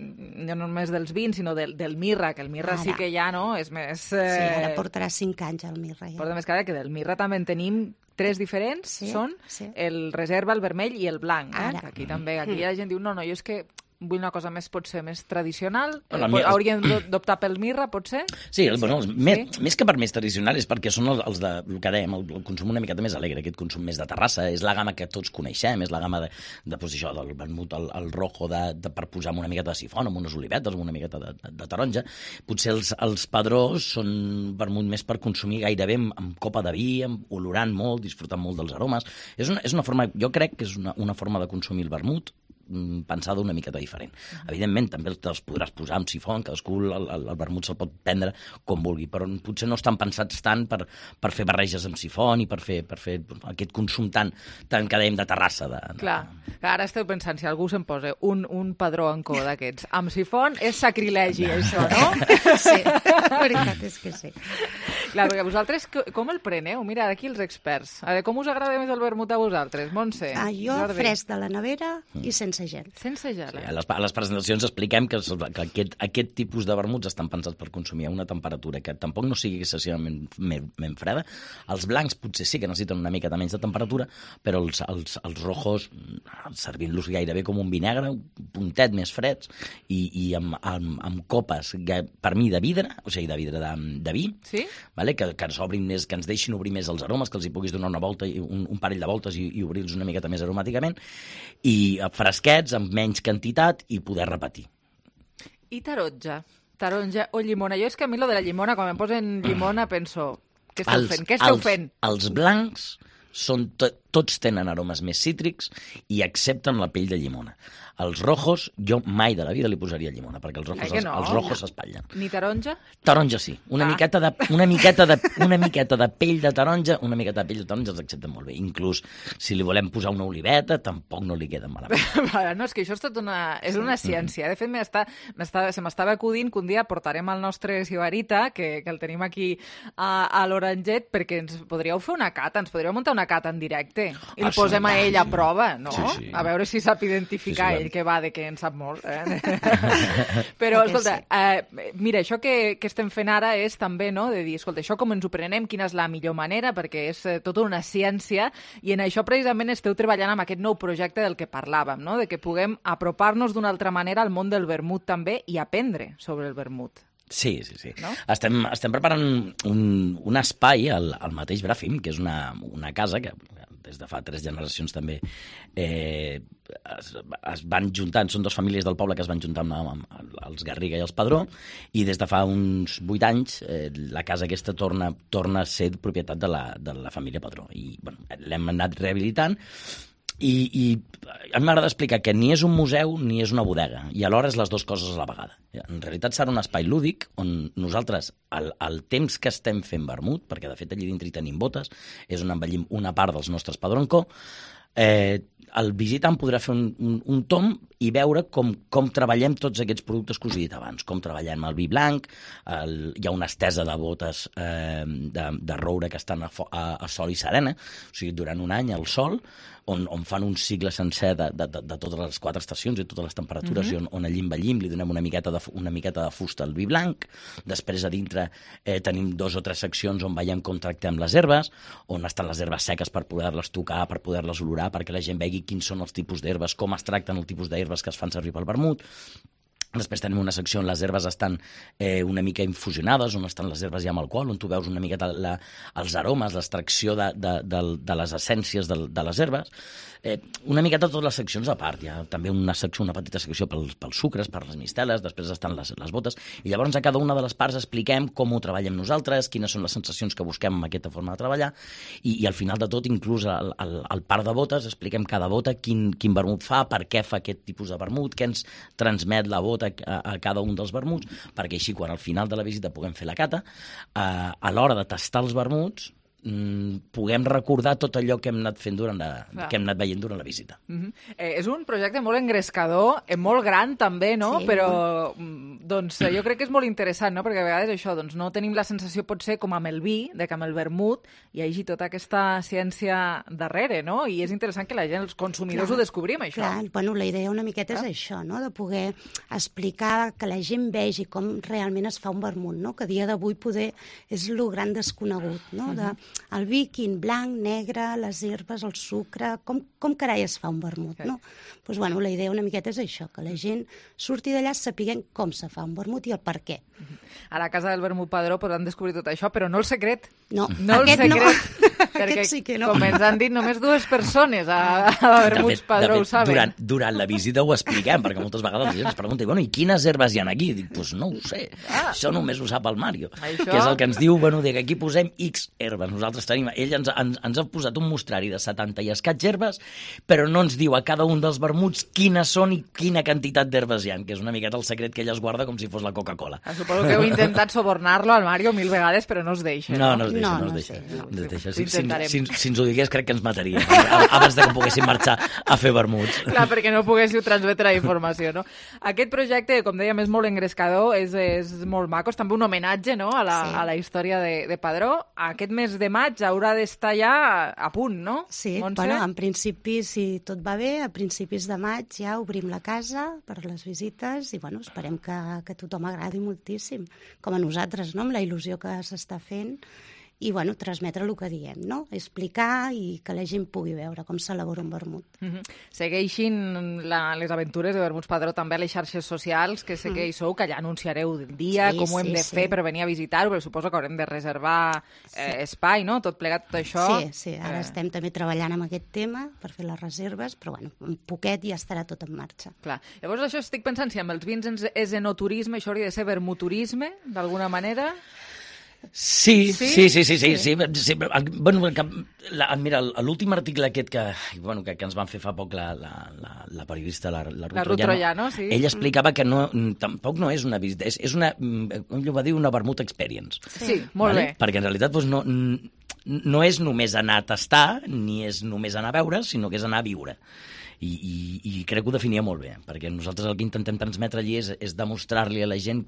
Speaker 3: no només dels vins, sinó del mirra, que el mirra sí que ja, no? És més...
Speaker 4: Sí, ara portarà 5 anys el mirra. Ja.
Speaker 3: Porta més cara que del mirra també en tenim 3 diferents, són el reserva, el vermell i el blanc. Que aquí també, aquí la gent diu, no, jo és que vull una cosa potser més tradicional. Hauríem d'optar pel mirra, potser?
Speaker 7: Sí, bueno, més que per més tradicional és perquè són els de, el que dèiem, el consum una miqueta més alegre, aquest consum més de terrassa, és la gamma que tots coneixem, és la gamma del vermut, el rojo, per posar amb una miqueta de sifon, amb unes olivetes, amb una miqueta de taronja. Potser els padrós són vermut més per consumir gairebé amb copa de vi, olorant molt, disfrutant molt dels aromes. És una forma, jo crec que és una forma de consumir el vermut pensada una miqueta diferent. Evidentment, també els podràs posar amb sifon, cadascú el vermut se'l pot prendre com vulgui, però potser no estan pensats tant per fer barreges amb sifon i per fer aquest consum tan que dèiem de terrassa.
Speaker 3: Clar, ara esteu pensant, si algú se'n posa un padró en cor d'aquests amb sifon, és sacrilegi, això, no?
Speaker 4: Sí, la veritat és que sí.
Speaker 3: Clar, perquè vosaltres com el preneu? Mira, aquí els experts. A veure, com us agrada més el vermut a vosaltres, Montse?
Speaker 4: Jo, fresc de la nevera i sense gel.
Speaker 3: Sense gel,
Speaker 7: A les presentacions expliquem que aquest tipus de vermuts estan pensats per consumir a una temperatura que tampoc no sigui excessivament freda. Els blancs potser sí que necessiten una miqueta menys de temperatura, però els rojos, servint-los gairebé com un vi negre, un puntet més freds, i amb copes, per mi, de vidre, o sigui, de vidre de vi, que ens deixin obrir més els aromes, que els hi puguis donar una volta, un parell de voltes i obrir-los una miqueta més aromàticament, i fresquets, amb menys quantitat, i poder repetir.
Speaker 3: I taronja o llimona. Jo és que a mi lo de la llimona, quan em posen llimona, penso, què esteu fent?
Speaker 7: Els blancs tots tenen aromes més cítrics i accepten la pell de llimona. Els rojos, jo mai de la vida li posaria llimona, perquè els rojos s'espatllen.
Speaker 3: Ni taronja?
Speaker 7: Taronja sí. Una miqueta de pell de taronja, els accepten molt bé. Inclús si li volem posar una oliveta, tampoc no li queda malament.
Speaker 3: No, és que això és una ciència. De fet, se m'estava acudint que un dia portarem el nostre sibarita, que el tenim aquí a l'Oranget, perquè ens podríeu fer una cata, ens podríeu muntar una cata en directe i el posem a ell a prova, no? Sí. A veure si sap identificar ell que va de que en sap molt. Però, escolta, mira, això que estem fent ara és també, no?, de dir, escolta, això com ens ho prenem, quina és la millor manera, perquè és tota una ciència, i en això precisament esteu treballant amb aquest nou projecte del que parlàvem, no?, de que puguem apropar-nos d'una altra manera al món del vermut també i aprendre sobre el vermut.
Speaker 7: Sí. No? Estem preparant un espai al mateix Bràfim, que és una casa que des de fa 3 generacions també es van juntant, són 2 famílies del poble que es van juntar amb els Garriga i els Padró, i des de fa uns 8 anys la casa aquesta torna a ser propietat de la família Padró. I l'hem anat rehabilitant, i a mi m'agrada explicar que ni és un museu ni és una bodega, i alhora és les 2 coses a la vegada. En realitat serà un espai lúdic on nosaltres, el temps que estem fent vermut, perquè de fet allí dintre hi tenim botes, és on envellim una part dels nostres Padroncó, el visitant podrà fer un tom i veure com treballem tots aquests productes que us he dit abans, com treballem el vi blanc, hi ha una estesa de botes de roure que estan a sol i serena, o sigui, durant un any al sol, on fan un cicle sencer de totes les 4 estacions i totes les temperatures, i on allí envellim, li donem una miqueta de fusta al vi blanc. Després a dintre tenim 2 o 3 seccions on veiem com tractem les herbes, on estan les herbes seques per poder-les tocar, per poder-les olorar, perquè la gent vegi quins són els tipus d'herbes, com es tracten el tipus d'herbes que es fan servir pel vermut. Després tenim una secció on les herbes estan una mica infusionades, on estan les herbes ja amb alcohol, on tu veus una miqueta els aromes, l'extracció de les essències de les herbes. Una miqueta totes les seccions a part. Hi ha també una petita secció pels sucres, per les misteles, després estan les botes, i llavors a cada una de les parts expliquem com ho treballem nosaltres, quines són les sensacions que busquem amb aquesta forma de treballar, i al final de tot, inclús al part de botes, expliquem cada bota quin vermut fa, per què fa aquest tipus de vermut, què ens transmet la bota a cada un dels vermuts, perquè així quan al final de la visita puguem fer la cata, a l'hora de tastar els vermuts puguem recordar tot allò que hem anat fent que hem anat veient durant la visita.
Speaker 3: És un projecte molt engrescador, molt gran també, no? Sí, però doncs, jo crec que és molt interessant, no? Perquè a vegades això, doncs, no tenim la sensació, potser, com amb el vi, de que amb el vermut hi hagi tota aquesta ciència darrere, no? I és interessant que la gent, els consumidors, ho descobrim, això.
Speaker 4: Clar, bueno, la idea una miqueta és això, no? De poder explicar, que la gent vegi com realment es fa un vermut, no? Que a dia d'avui poder és el gran desconegut, no? El vi, quin blanc, negre, les herbes, el sucre, com carai es fa un vermut, no? Doncs, bueno, la idea una miqueta és això, que la gent surti d'allà sapiguent com se fa un vermut i el per què.
Speaker 3: A la Casa del Vermut Padró podran descobrir tot això, però no el secret.
Speaker 4: No,
Speaker 3: aquest el secret,
Speaker 4: no.
Speaker 3: Perquè,
Speaker 4: aquest sí que no.
Speaker 3: Com ens han dit, només 2 persones a Vermuts Padró ho saben.
Speaker 7: Durant la visita ho expliquem, perquè moltes vegades la gent ens pregunta, bueno, i quines herbes hi ha aquí? Dic, doncs no ho sé, això només ho sap el Mario, que és el que ens diu, bueno, que aquí posem X herbes. Nosaltres tenim, ell ens ha posat un mostrari de 70 i escaig herbes, però no ens diu a cada un dels vermuts quines són i quina quantitat d'herbes hi ha, que és una miqueta el secret que ella es guarda com si fos la Coca-Cola.
Speaker 3: Suposo que heu intentat subornar-lo al Mario 1000 vegades, però no es deixa.
Speaker 7: No es deixa. Si ens ho digués, crec que ens mataria abans que poguéssim marxar a fer vermuts.
Speaker 3: Clar, perquè no poguéssiu transmetre la informació, no? Aquest projecte, com dèiem, és molt engrescador, és molt maco, és també un homenatge, no?, a la història de Padró. Aquest mes de maig haurà d'estar ja a punt, no?
Speaker 4: Sí, bueno, en principi, si tot va bé, a principis de maig ja obrim la casa per les visites i, bueno, esperem que tothom agradi moltíssim, com a nosaltres, no?, amb la il·lusió que s'està fent, i, bueno, transmetre el que diem, no? Explicar i que la gent pugui veure com s'elabora un vermut.
Speaker 3: Segueixin les aventures de Vermuts Padró també a les xarxes socials, que sé que hi sou, que allà anunciareu el dia, com ho hem de fer per venir a visitar-ho, però suposo que haurem de reservar espai, no? Tot plegat, tot això.
Speaker 4: Sí, ara estem també treballant amb aquest tema per fer les reserves, però, bueno, un poquet ja estarà tot en marxa.
Speaker 3: Clar. Llavors, això estic pensant, si amb els vins és enoturisme, això hauria de ser vermuturisme, d'alguna manera?
Speaker 7: Sí. Bueno, mira, l'últim article aquest que ens van fer fa poc la periodista, la Ruth
Speaker 3: Troiano, sí.
Speaker 7: Ella explicava que tampoc no és una visita, és una, com va dir, una vermut experience.
Speaker 3: Sí, molt bé.
Speaker 7: Perquè en realitat no és només anar a tastar, ni és només anar a veure, sinó que és anar a viure. I crec que ho definia molt bé, perquè nosaltres el que intentem transmetre allí és demostrar-li a la gent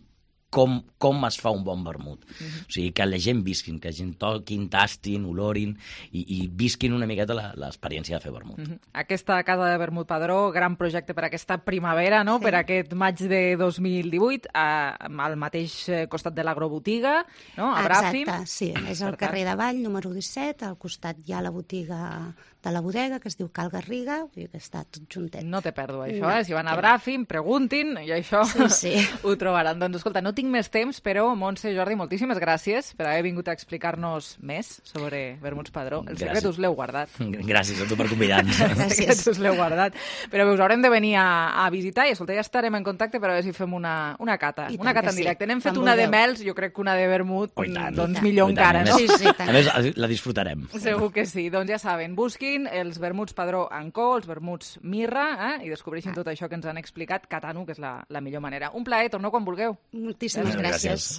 Speaker 7: com es fa un bon vermut. O sigui, que la gent visquin, que la gent toquin, tastin, olorin i visquin una miqueta l'experiència de fer vermut.
Speaker 3: Aquesta Casa de Vermut Padró, gran projecte per aquesta primavera, no? Per aquest maig de 2018, al mateix costat de l'agrobotiga, no? A Bràfim.
Speaker 4: Exacte, sí. És al carrer de Vall, número 17, al costat hi ha la botiga de la bodega, que es diu Cal Garriga, i que està tot juntet.
Speaker 3: No té pèrdua, això, Si van a Bràfim, preguntin, i això ho trobaran. Doncs, escolta, no tinc més temps, però, Montse, Jordi, moltíssimes gràcies per haver vingut a explicar-nos més sobre Vermuts Padró. El secret us l'heu guardat.
Speaker 7: Gràcies a tu per convidar-nos.
Speaker 3: El secret us l'heu guardat. Però us haurem de venir a visitar i, escolta, ja estarem en contacte per a veure si fem una cata. Una cata en directe. N'hem fet una de mels, jo crec que una de vermut, doncs millor encara, no?
Speaker 7: A més, la disfrutarem.
Speaker 3: Segur que sí. Doncs ja saben, busquin els Vermuts Padró Co, els vermuts Mirra, i descobreixin tot això que ens han explicat, catant-ho, que és la millor manera. Un plaer, torneu quan vulgueu.
Speaker 4: Moltíssimes gràcies.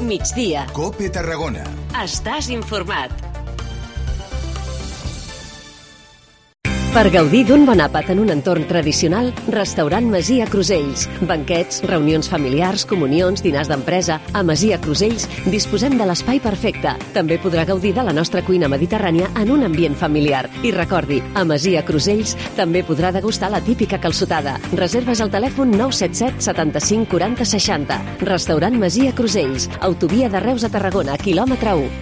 Speaker 6: migdia.
Speaker 14: COPE Tarragona.
Speaker 6: Estàs informat. Per gaudir d'un bon àpat en un entorn tradicional, Restaurant Masia Crusells. Banquets, reunions familiars, comunions, dinars d'empresa. A Masia Crusells disposem de l'espai perfecte. També podrà gaudir de la nostra cuina mediterrània en un ambient familiar. I recordi, a Masia Crusells també podrà degustar la típica calçotada. Reserves al telèfon 977 75 40 60. Restaurant Masia Crusells. Autovia de Reus a Tarragona, quilòmetre 1.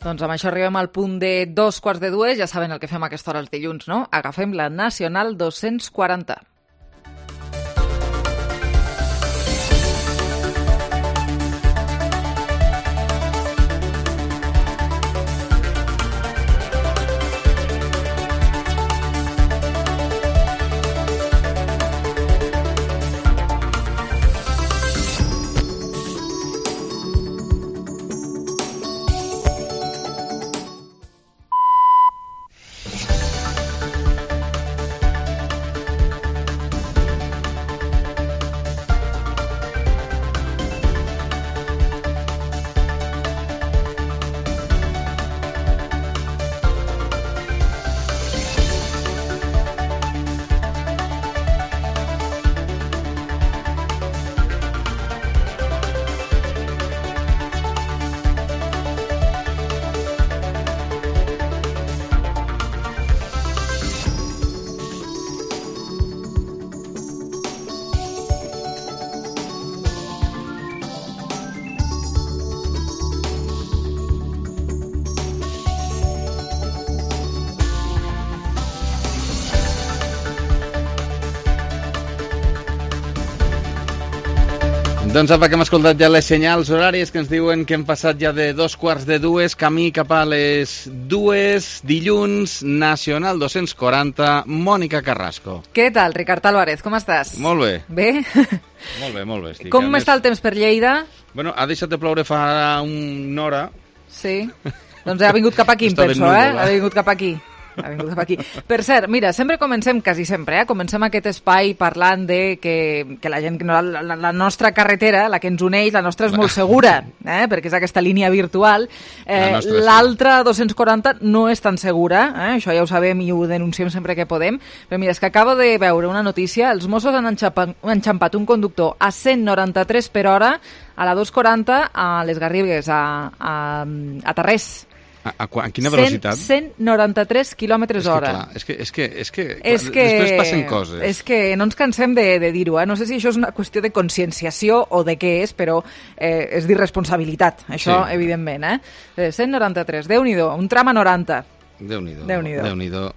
Speaker 3: Doncs amb això arribem al punt de 2:45. Ja saben el que fem a aquesta hora els dilluns, no? Agafem la Nacional 240.
Speaker 15: Doncs apa, que hem escoltat ja les senyals horàries que ens diuen que hem passat ja de 2:45, camí cap a les 2, dilluns, Nacional 240, Mònica Carrasco.
Speaker 3: Què tal, Ricard Álvarez, com estàs?
Speaker 15: Molt bé.
Speaker 3: Bé?
Speaker 15: Molt bé. Estic.
Speaker 3: Com està el temps per Lleida?
Speaker 15: Bueno, ha deixat de ploure fa una hora.
Speaker 3: Sí? Doncs ha vingut cap aquí, em penso, Ha vingut cap aquí. Per cert, mira, sempre comencem, quasi sempre, comencem aquest espai parlant de que la gent, la nostra carretera, la que ens uneix, la nostra és molt segura, perquè és aquesta línia virtual. L'altra 240 no és tan segura, això ja ho sabem i ho denunciem sempre que podem, però mira, és que acabo de veure una notícia, els Mossos han enxampat un conductor a 193 per hora a la 240 a les Garrigues, a Tarrés.
Speaker 15: A quina velocitat?
Speaker 3: 193 quilòmetres hora.
Speaker 15: És que després passen coses.
Speaker 3: És que no ens cansem de dir-ho. No sé si això és una qüestió de conscienciació o de què és, però és d'irresponsabilitat, això, sí. Evidentment. 193, Déu-n'hi-do, un tram a 90.
Speaker 15: Déu-n'hi-do.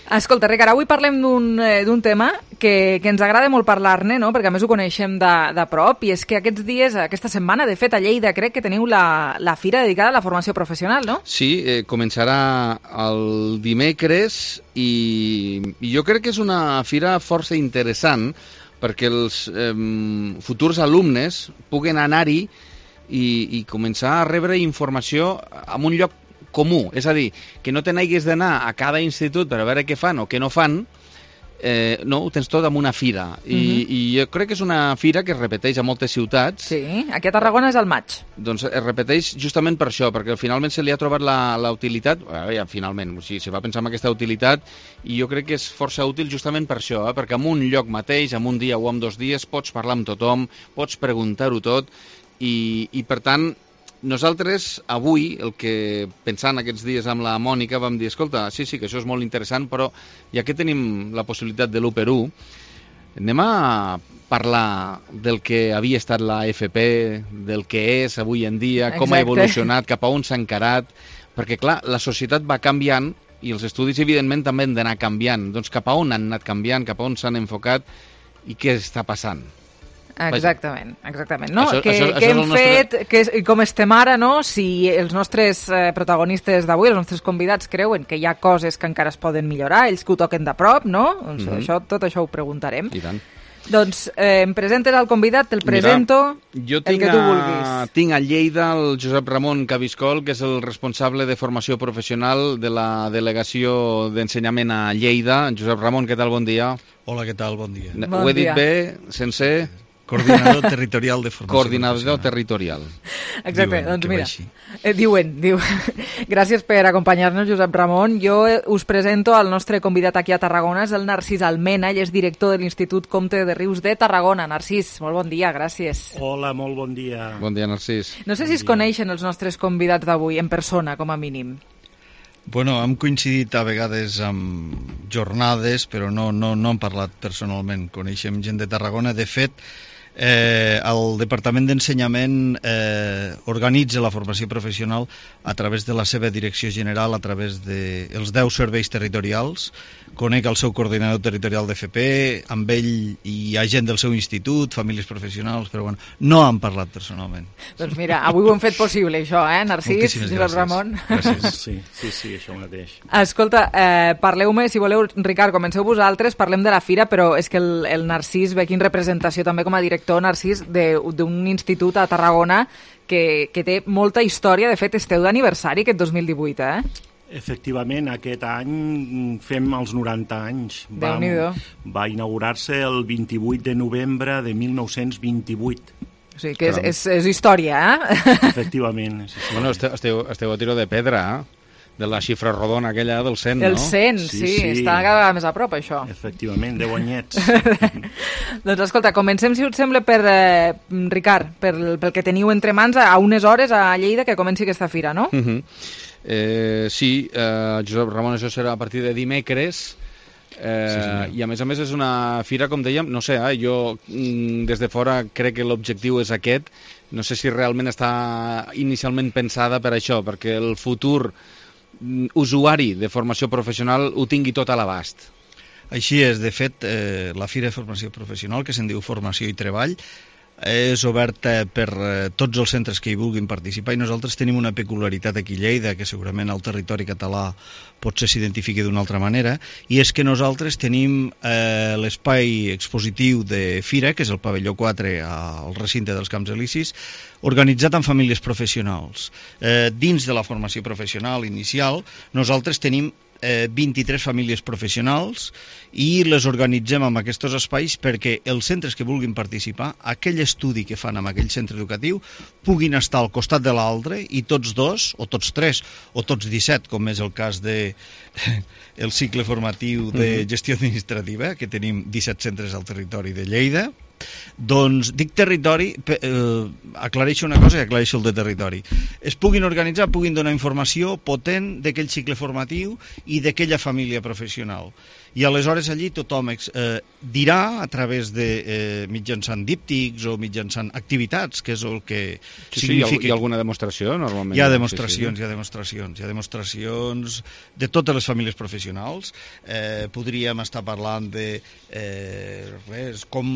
Speaker 3: Escolta, Ricard, avui parlem d'un tema que ens agrada molt parlar-ne, no? Perquè a més ho coneixem de prop, i és que aquests dies, aquesta setmana, de fet, a Lleida crec que teniu la fira dedicada a la formació professional, no?
Speaker 15: Sí, començarà el dimecres i jo crec que és una fira força interessant perquè els futurs alumnes puguen anar-hi i començar a rebre informació en un lloc comú, és a dir, que no te n'haguis d'anar a cada institut per a veure què fan o què no fan, no, ho tens tot en una fira. I jo crec que és una fira que es repeteix a moltes ciutats.
Speaker 3: Sí, aquí a Tarragona és al maig.
Speaker 15: Doncs es repeteix justament per això, perquè finalment se li ha trobat la utilitat, finalment, o sigui, se va pensar en aquesta utilitat, i jo crec que és força útil justament per això, perquè en un lloc mateix, en un dia o en 2 dies, pots parlar amb tothom, pots preguntar-ho tot, i per tant, nosaltres, avui, el que pensant aquests dies amb la Mònica, vam dir, escolta, sí, que això és molt interessant, però ja que tenim la possibilitat de l'1x1, anem a parlar del que havia estat la FP, del que és avui en dia, com ha evolucionat, cap a on s'ha encarat, perquè, clar, la societat va canviant i els estudis, evidentment, també han d'anar canviant. Doncs cap a on han anat canviant, cap a on s'han enfocat i què està passant.
Speaker 3: Exactament. No? Què hem fet, com estem ara, no? Si els nostres protagonistes d'avui, els nostres convidats, creuen que hi ha coses que encara es poden millorar, ells que ho toquen de prop, no? Doncs tot això ho preguntarem.
Speaker 15: I tant.
Speaker 3: Doncs em presentes el convidat, te'l presento,
Speaker 15: jo
Speaker 3: el que tu vulguis.
Speaker 15: Tinc a Lleida el Josep Ramon Cabiscol, que és el responsable de formació professional de la delegació d'ensenyament a Lleida. Josep Ramon, què tal? Bon dia.
Speaker 14: Hola, què tal? Bon dia.
Speaker 15: Ho he dit bé, sencer?
Speaker 14: Coordinador territorial de formació
Speaker 15: Coordinador territorial.
Speaker 3: Exacte, doncs mira, diuen. Gràcies per acompanyar-nos, Josep Ramon. Jo us presento el nostre convidat aquí a Tarragona, és el Narcís Almena, ell és director de l'Institut Comte de Rius de Tarragona. Narcís, molt bon dia, gràcies.
Speaker 14: Hola, molt bon dia.
Speaker 15: Bon dia, Narcís.
Speaker 3: No sé si es coneixen els nostres convidats d'avui, en persona, com a mínim.
Speaker 14: Bueno, hem coincidit a vegades amb jornades, però no hem parlat personalment. Coneixem gent de Tarragona. De fet, el Departament d'Ensenyament organitza la formació professional a través de la seva direcció general, a través dels 10 serveis territorials. Conec el seu coordinador territorial d'FP, amb ell hi ha gent del seu institut, famílies professionals, però bueno, no han parlat personalment.
Speaker 3: Doncs mira, avui ho hem fet possible, això, Narcís, Josep Ramon?
Speaker 14: Gràcies. Sí, això mateix.
Speaker 3: Escolta, parleu-me, si voleu, Ricard, comenceu vosaltres, parlem de la fira, però és que el Narcís ve aquí en representació també com a director, Narcís, d'un institut a Tarragona que té molta història. De fet, esteu d'aniversari aquest 2018,
Speaker 14: Efectivament, aquest any fem els 90 anys. Va inaugurar-se el 28 de novembre de 1928.
Speaker 3: O sigui que és història,
Speaker 14: Efectivament. Sí.
Speaker 15: Bueno, esteu a tiro de pedra, de la xifra rodona aquella del 100, no?
Speaker 3: El 100, sí. Està cada vegada més a prop, això.
Speaker 14: Efectivament, 10 anyets.
Speaker 3: Doncs escolta, comencem, si us sembla, Ricard, pel que teniu entre mans a unes hores a Lleida que comenci aquesta fira, no?
Speaker 15: Sí, Josep Ramon, això serà a partir de dimecres, i a més és una fira, com dèiem, no sé, jo des de fora crec que l'objectiu és aquest. No sé si realment està inicialment pensada per això, perquè el futur usuari de formació professional ho tingui tot a l'abast.
Speaker 14: Així és. De fet, la Fira de Formació Professional, que se'n diu Formació i Treball, és oberta per tots els centres que hi vulguin participar, i nosaltres tenim una peculiaritat aquí a Lleida, que segurament al territori català potser s'identifiqui d'una altra manera, i és que nosaltres tenim l'espai expositiu de fira, que és el pavelló 4 al recinte dels Camps Elisis, organitzat amb famílies professionals. Dins de la formació professional inicial, nosaltres tenim 23 famílies professionals i les organitzem en aquests espais perquè els centres que vulguin participar, aquell estudi que fan en aquell centre educatiu, puguin estar al costat de l'altre i tots dos, o tots tres, o tots 17, com és el cas de el cicle formatiu de gestió administrativa, que tenim 17 centres al territori de Lleida. Doncs dic territori, aclareixo una cosa i aclareixo el de territori. Es puguin organitzar, puguin donar informació potent d'aquell cicle formatiu i d'aquella família professional. I aleshores allí tothom dirà a través de mitjançant díptics o mitjançant activitats, que és el que significa...
Speaker 15: Hi ha alguna demostració, normalment?
Speaker 14: Hi ha demostracions, hi ha demostracions de totes les famílies professionals. Podríem estar parlant de com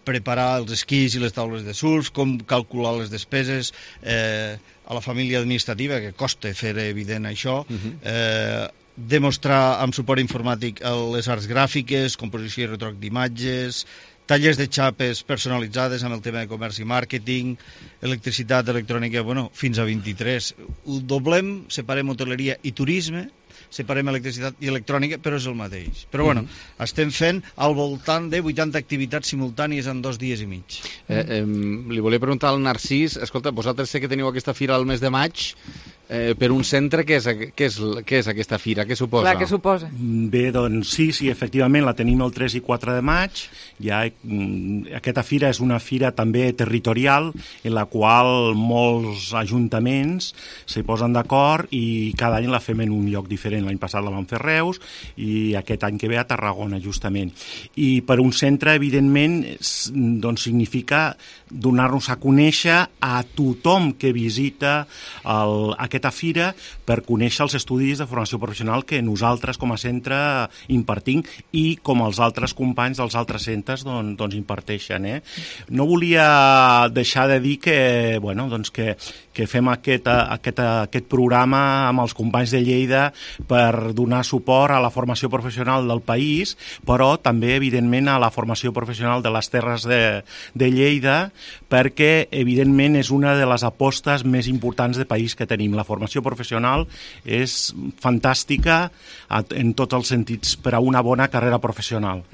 Speaker 14: preparar els esquís i les taules de surf, com calcular les despeses a la família administrativa, que costa fer evident això, demostrar amb suport informàtic les arts gràfiques, composició i retroc d'imatges, tallers de xapes personalitzades amb el tema de comerç i màrqueting, electricitat, electrònica, fins a 23. Ho doblem, separem hoteleria i turisme, separem electricitat i electrònica, però és el mateix. Però estem fent al voltant de 80 activitats simultànies en 2 dies i mig.
Speaker 15: Li volia preguntar al Narcís, escolta, vosaltres sé que teniu aquesta fira al mes de maig, per un centre, què és aquesta fira? Què suposa?
Speaker 3: Clar, què suposa?
Speaker 14: Bé, doncs sí, efectivament, la tenim el 3 i 4 de maig. Aquesta fira és una fira també territorial, en la qual molts ajuntaments s'hi posen d'acord i cada any la fem en un lloc diferent. L'any passat la vam fer a Reus i aquest any que ve a Tarragona, justament. I per un centre, evidentment, doncs significa
Speaker 16: donar-nos a conèixer a tothom que visita aquesta fira per conèixer els estudis de formació professional que nosaltres com a centre impartim i com els altres companys dels altres centres doncs imparteixen. No volia deixar de dir que, bueno, doncs que fem aquest programa amb els companys de Lleida per donar suport a la formació professional del país, però també, evidentment, a la formació professional de les Terres de Lleida, perquè, evidentment, és una de les apostes més importants de país que tenim. La formació professional és fantàstica en tots els sentits per a una bona carrera professional.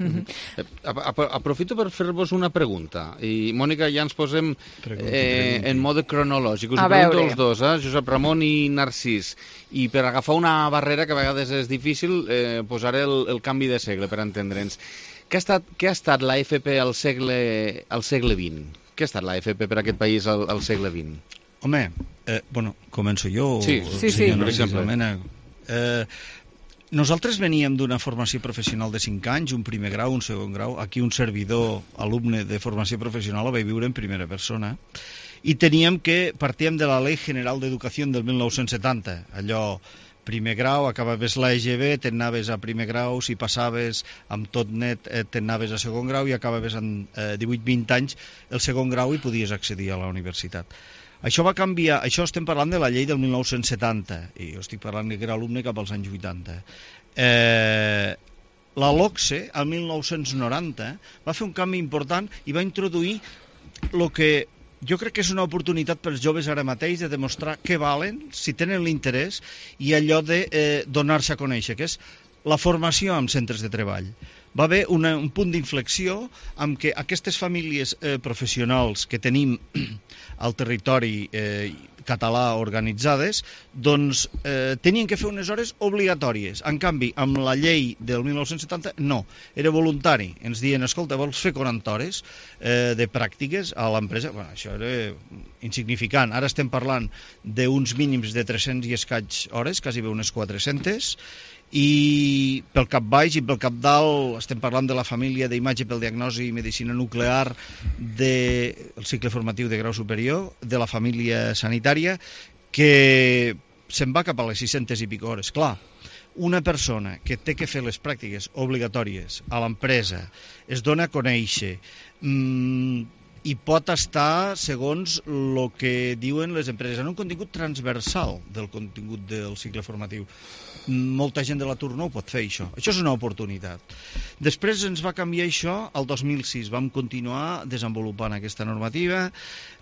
Speaker 15: Aprofito per fer-vos una pregunta. I, Mònica, ja ens posem en mode cronològic. Us pregunto els dos, Josep Ramon i Narcís. I per agafar una barrera que a vegades és difícil, posaré el canvi de segle, per entendre'ns. Què ha estat la FP al segle XX? Què ha estat la FP per aquest país al segle XX?
Speaker 14: Home, començo jo?
Speaker 15: Sí, per exemple.
Speaker 14: Nosaltres veníem d'una formació professional de 5 anys, un primer grau, un segon grau. Aquí un servidor, alumne de formació professional, ho vaig viure en primera persona. I partíem de la Ley General d'Educació del 1970, allò primer grau, acabaves l'EGB, t'anaves a primer grau, si passaves amb tot net t'anaves a segon grau i acabaves amb 18-20 anys el segon grau i podies accedir a la universitat. Això va canviar, això estem parlant de la llei del 1970, i jo estic parlant que era alumne cap als anys 80. La LOCSE, el 1990, va fer un canvi important i va introduir el que jo crec que és una oportunitat per als joves ara mateix de demostrar què valen, si tenen l'interès, i allò de donar-se a conèixer, que és la formació en centres de treball. Va haver un punt d'inflexió amb què aquestes famílies professionals que tenim al territori català organitzades, doncs tenien que fer unes hores obligatòries. En canvi, amb la llei del 1970, no. Era voluntari. Ens diuen, escolta, vols fer 40 hores de pràctiques a l'empresa? Bueno, això era insignificant. Ara estem parlant d'uns mínims de 300 i escaig hores, quasi bé unes 400, i pel cap baix i pel cap dalt estem parlant de la família d'imatge pel diagnosi i medicina nuclear del cicle formatiu de grau superior, de la família sanitària, que se'n va cap a les 600 i pico hores. Clar, una persona que té que fer les pràctiques obligatòries a l'empresa, es dona a conèixer, i pot estar, segons el que diuen les empreses, en un contingut transversal del contingut del cicle formatiu. Molta gent de l'atur no ho pot fer, això. Això és una oportunitat. Després ens va canviar això al 2006. Vam continuar desenvolupant aquesta normativa.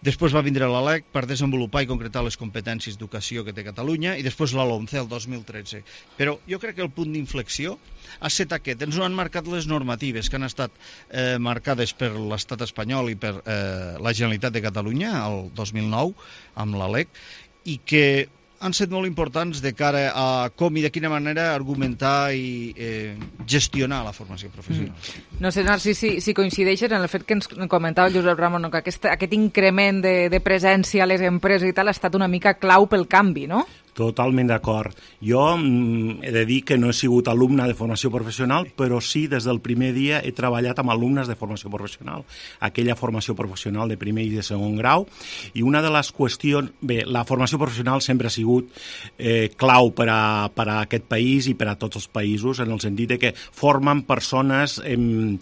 Speaker 14: Després va vindre la LEC per desenvolupar i concretar les competències d'educació que té Catalunya i després la LOMCE el 2013. Però jo crec que el punt d'inflexió ha estat aquest. Ens ho han marcat les normatives que han estat marcades per l'estat espanyol i per la Generalitat de Catalunya el 2009 amb la LEC i que han estat molt importants de cara a com i de quina manera argumentar i gestionar la formació professional.
Speaker 3: No sé, Narcís, si coincideixes en el fet que ens comentava el Josep Ramon, que aquest increment de presència a les empreses i tal ha estat una mica clau pel canvi, no?
Speaker 16: Totalment d'acord. Jo he de dir que no he sigut alumne de formació professional, però sí, des del primer dia he treballat amb alumnes de formació professional, aquella formació professional de primer i de segon grau, i una de les qüestions... Bé, la formació professional sempre ha sigut clau per a aquest país i per a tots els països, en el sentit de que formen persones en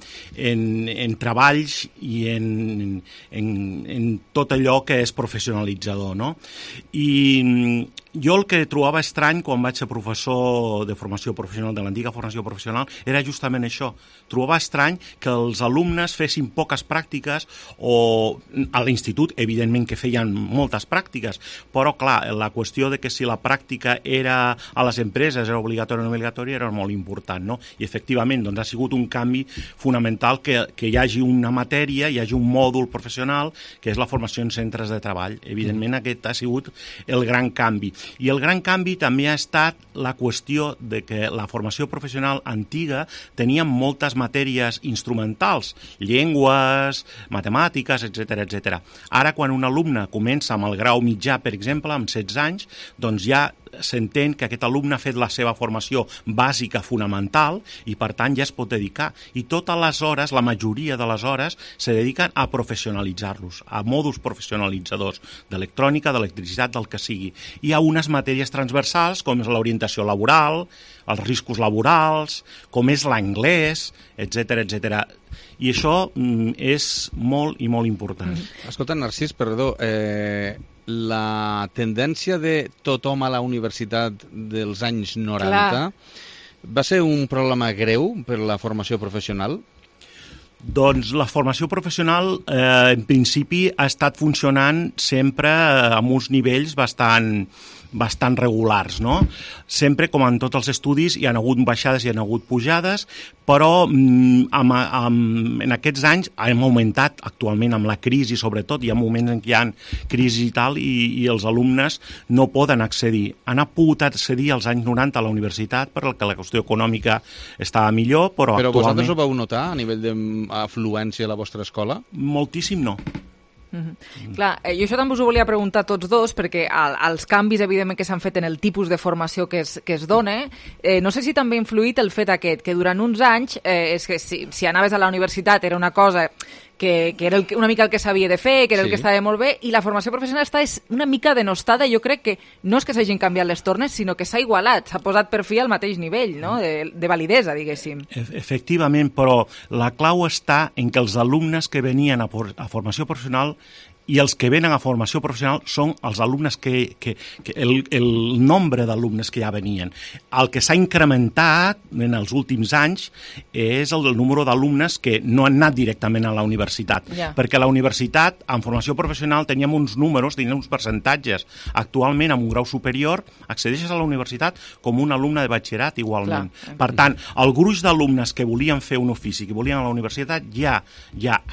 Speaker 16: treballs i en tot allò que és professionalitzador, no? I jo el que trobava estrany quan vaig ser professor de formació professional, de l'antiga formació professional, era justament això. Trobava estrany que els alumnes fessin poques pràctiques, o a l'institut, evidentment que feien moltes pràctiques, però clar, la qüestió de que si la pràctica era a les empreses, era obligatòria o no obligatòria, era molt important, no? I efectivament, doncs ha sigut un canvi fonamental que hi hagi una matèria, hi hagi un mòdul professional, que és la formació en centres de treball. Evidentment aquest ha sigut el gran canvi. I el gran canvi també ha estat la qüestió de que la formació professional antiga tenia moltes matèries instrumentals, llengües, matemàtiques, etc. Ara, quan un alumne comença amb el grau mitjà, per exemple, amb 16 anys, doncs ja s'entén que aquest alumne ha fet la seva formació bàsica fonamental i per tant ja es pot dedicar. I totes les hores, la majoria de les hores, se dediquen a professionalitzar-los, a mòduls professionalitzadors d'electrònica, d'electricitat, del que sigui. Hi ha unes matèries transversals com és l'orientació laboral, els riscos laborals, com és l'anglès, etc etc. I això és molt i molt important.
Speaker 15: Escolta, Narcís, perdó, la tendència de tothom a la universitat dels anys 90 va ser un problema greu per la formació professional?
Speaker 16: Doncs la formació professional en principi ha estat funcionant sempre amb uns nivells bastant regulars, no? Sempre, com en tots els estudis, hi ha hagut baixades i hi ha hagut pujades, però en aquests anys hem augmentat actualment amb la crisi, sobretot, hi ha moments en què hi ha crisi i tal, i els alumnes no poden accedir. Han pogut accedir als anys 90 a la universitat perquè la qüestió econòmica estava millor, però actualment...
Speaker 15: Però vosaltres ho vau notar a nivell d'afluència a la vostra escola?
Speaker 16: Moltíssim no.
Speaker 3: Clar, jo això també us ho volia preguntar a tots dos, perquè els canvis, evidentment, que s'han fet en el tipus de formació que es dona, no sé si també ha influït el fet aquest, que durant uns anys, és que si anaves a la universitat era una cosa que era una mica el que s'havia de fer, que era el que estava molt bé, i la formació professional està una mica denostada. Jo crec que no és que s'hagin canviat les tornes, sinó que s'ha igualat, s'ha posat per fi al mateix nivell, no? de validesa, diguéssim.
Speaker 16: Efectivament, però la clau està en que els alumnes que venien a formació professional i els que venen a formació professional són els alumnes el nombre d'alumnes que ja venien. El que s'ha incrementat en els últims anys és el número d'alumnes que no han anat directament a la universitat. Perquè a la universitat, en formació professional, teníem uns números, teníem uns percentatges. Actualment, amb un grau superior, accedeixes a la universitat com un alumne de batxillerat igualment. Per tant, el gruix d'alumnes que volien fer un ofici, que volien anar a la universitat, ja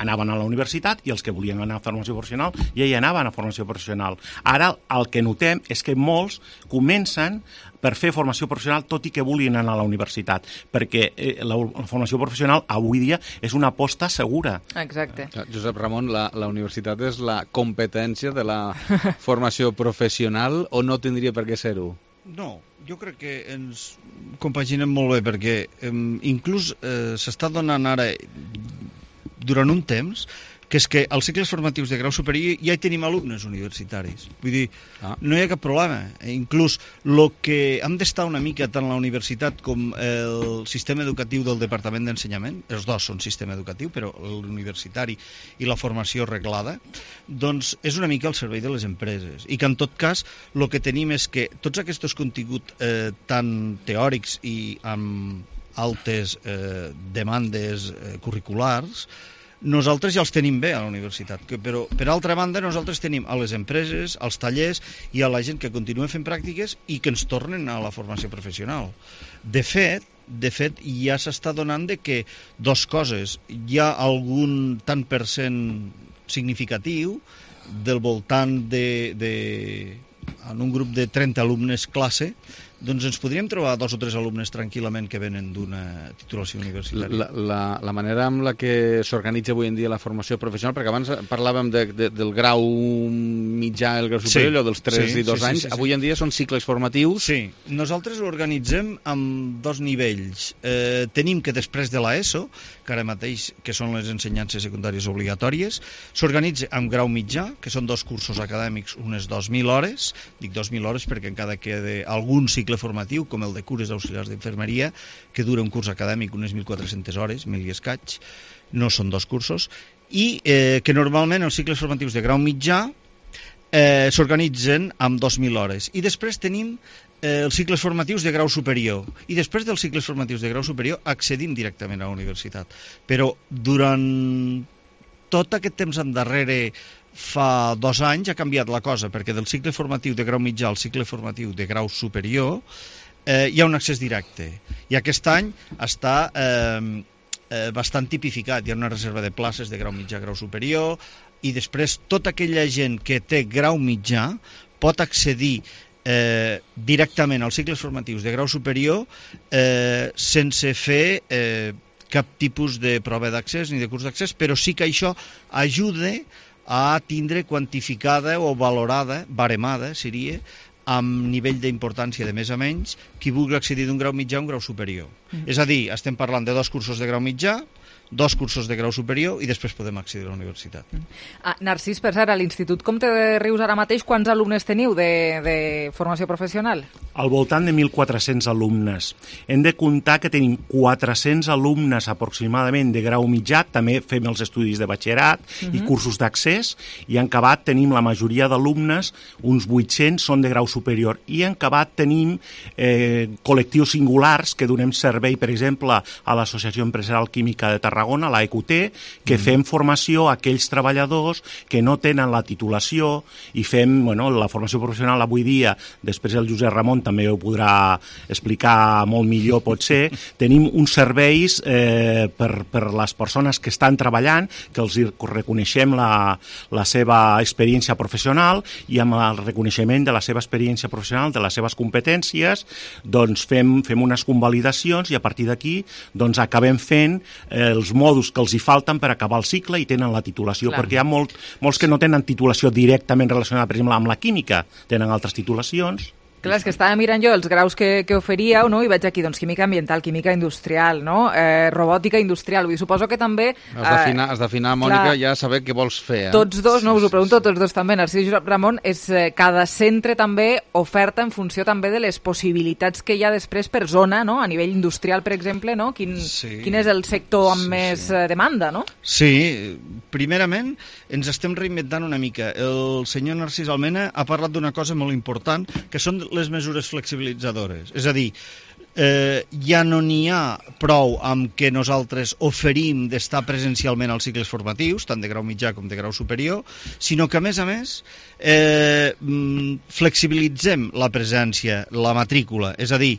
Speaker 16: anaven a la universitat, i els que volien anar a formació professional ja hi anaven a formació professional. Ara el que notem és que molts comencen per fer formació professional tot i que vulguin anar a la universitat, perquè la formació professional avui dia és una aposta segura.
Speaker 3: Exacte.
Speaker 15: Josep Ramon, la universitat és la competència de la formació professional o no tindria per què ser-ho?
Speaker 14: No, jo crec que ens compaginem molt bé, perquè inclús s'està donant ara durant un temps que és que als cicles formatius de grau superior ja hi tenim alumnes universitaris. Vull dir, no hi ha cap problema. Inclús el que hem d'estar una mica tant la universitat com el sistema educatiu del Departament d'Ensenyament, els dos són sistema educatiu, però l'universitari i la formació reglada, doncs és una mica al servei de les empreses. I que en tot cas el que tenim és que tots aquests continguts tan teòrics i amb altes demandes curriculars nosaltres ja els tenim bé a la universitat, però per altra banda nosaltres tenim a les empreses, als tallers i a la gent que continua fent pràctiques i que ens tornen a la formació professional. De fet, ja s'està donant de que dos coses, hi ha algun tant per cent significatiu del voltant en un grup de 30 alumnes classe, doncs ens podríem trobar 2 o 3 alumnes tranquil·lament que venen d'una titulació universitària.
Speaker 15: La manera amb la que s'organitza avui en dia la formació professional, perquè abans parlàvem del grau mitjà, el grau superior, o dels 3 i 2 anys, avui en dia són cicles formatius.
Speaker 14: Sí, nosaltres l'organitzem amb 2 nivells. Tenim que després de l'ESO, que ara mateix que són les ensenyances secundàries obligatòries, s'organitza amb grau mitjà, que són 2 cursos acadèmics, unes 2.000 hores, dic 2.000 hores perquè encara queda algun cicle formatiu, com el de cures auxiliars d'infermeria, que dura un curs acadèmic unes 1.400 hores, 1.000 i escaig, no són 2 cursos, i que normalment els cicles formatius de grau mitjà s'organitzen amb 2.000 hores. I després tenim els cicles formatius de grau superior. I després dels cicles formatius de grau superior accedim directament a la universitat. Però durant tot aquest temps endarrere, fa 2 anys, ha canviat la cosa, perquè del cicle formatiu de grau mitjà al cicle formatiu de grau superior hi ha un accés directe. I aquest any està bastant tipificat. Hi ha una reserva de places de grau mitjà, grau superior, i després tota aquella gent que té grau mitjà pot accedir directament als cicles formatius de grau superior sense fer cap tipus de prova d'accés ni de curs d'accés, però sí que això ajuda a tindre quantificada o valorada, baremada seria, amb nivell d'importància de més a menys, qui vulgui accedir d'un grau mitjà a un grau superior. És a dir, estem parlant de 2 cursos de grau mitjà, 2 cursos de grau superior i després podem accedir a la universitat.
Speaker 3: Narcís, per cert, a l'Institut Comte de Rius ara mateix, quants alumnes teniu de formació professional?
Speaker 16: Al voltant de 1.400 alumnes. Hem de comptar que tenim 400 alumnes aproximadament de grau mitjà, també fem els estudis de batxillerat i cursos d'accés, i en acabat tenim la majoria d'alumnes, uns 800 són de grau superior, i en acabat tenim col·lectius singulars que donem servei, per exemple, a l'Associació Empresarial Química de Tarragona, la EQT, que fem formació a aquells treballadors que no tenen la titulació i fem, la formació professional avui dia, després el Josep Ramon també ho podrà explicar molt millor potser, tenim uns serveis per les persones que estan treballant, que els reconeixem la seva experiència professional i amb el reconeixement de la seva experiència professional, de les seves competències, doncs fem unes convalidacions i a partir d'aquí doncs acabem fent els mòduls que els hi falten per acabar el cicle i tenen la titulació, perquè hi ha molts que no tenen titulació directament relacionada, per exemple, amb la química, tenen altres titulacions.
Speaker 3: Clar, és que estava mirant jo els graus que oferíeu, no? I veig aquí, doncs, química ambiental, química industrial, no? Robòtica industrial. Vull dir, suposo que també...
Speaker 15: Has d'afinar, Mònica, ja saber què vols fer.
Speaker 3: Tots dos, no? Us ho pregunto tots dos també, Narcís i Josep Ramon, cada centre també oferta en funció també de les possibilitats que hi ha després per zona, no? A nivell industrial, per exemple, no? Quin és el sector amb més demanda, no?
Speaker 14: Sí, primerament ens estem reinventant una mica. El senyor Narcís Almena ha parlat d'una cosa molt important, que són les mesures flexibilitzadores. És a dir, ja no n'hi ha prou amb que nosaltres oferim d'estar presencialment als cicles formatius, tant de grau mitjà com de grau superior, sinó que, a més, flexibilitzem la presència, la matrícula. És a dir,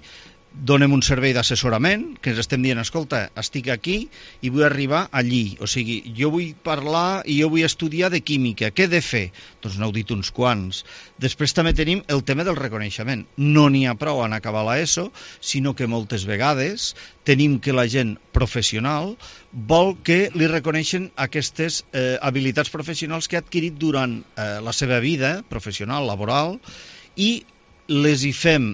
Speaker 14: donem un servei d'assessorament, que ens estem dient, escolta, estic aquí i vull arribar allí. O sigui, jo vull parlar i jo vull estudiar de química. Què he de fer? Doncs n'heu dit uns quants. Després també tenim el tema del reconeixement. No n'hi ha prou en acabar l'ESO, sinó que moltes vegades tenim que la gent professional vol que li reconeixen aquestes habilitats professionals que ha adquirit durant la seva vida professional, laboral, i les hi fem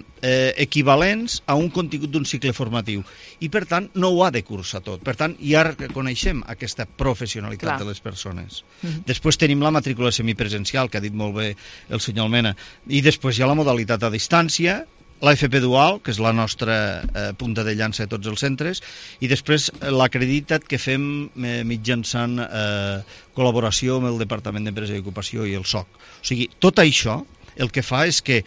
Speaker 14: equivalents a un contingut d'un cicle formatiu i per tant no ho ha de cursar tot, per tant ja reconeixem aquesta professionalitat de les persones. Després tenim la matrícula semipresencial, que ha dit molt bé el senyor Almena, i després hi ha la modalitat a distància, la FP Dual, que és la nostra punta de llança de tots els centres, i després l'acreditat que fem mitjançant col·laboració amb el Departament d'Empresa i Ocupació i el SOC. O sigui, tot això el que fa és que,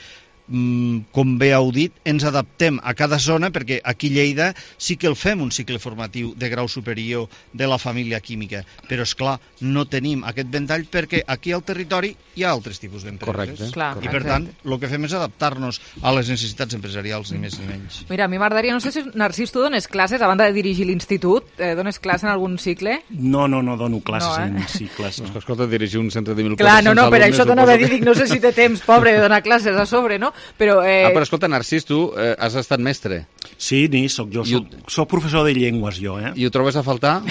Speaker 14: com bé heu dit, ens adaptem a cada zona, perquè aquí a Lleida sí que el fem un cicle formatiu de grau superior de la família química, però és clar, no tenim aquest ventall perquè aquí al territori hi ha altres tipus d'empreses. I per tant, el que fem és adaptar-nos a les necessitats empresarials, ni més ni menys.
Speaker 3: Mira, a mi m'agradaria, no sé si, Narcís, tu dones classes, a banda de dirigir l'institut, dones classes en algun cicle?
Speaker 16: No dono classes en cicles.
Speaker 15: No. Escolta, dirigir un centre de 1.400
Speaker 3: alumnes... Clar, per això t'anava a dir, no sé si té temps, pobre, de donar classes a sobre, no? Però
Speaker 15: escolta, Narcís, tu has estat mestre.
Speaker 16: Sí, soc jo. Soc professor de llengües, jo.
Speaker 15: I ho trobes a faltar,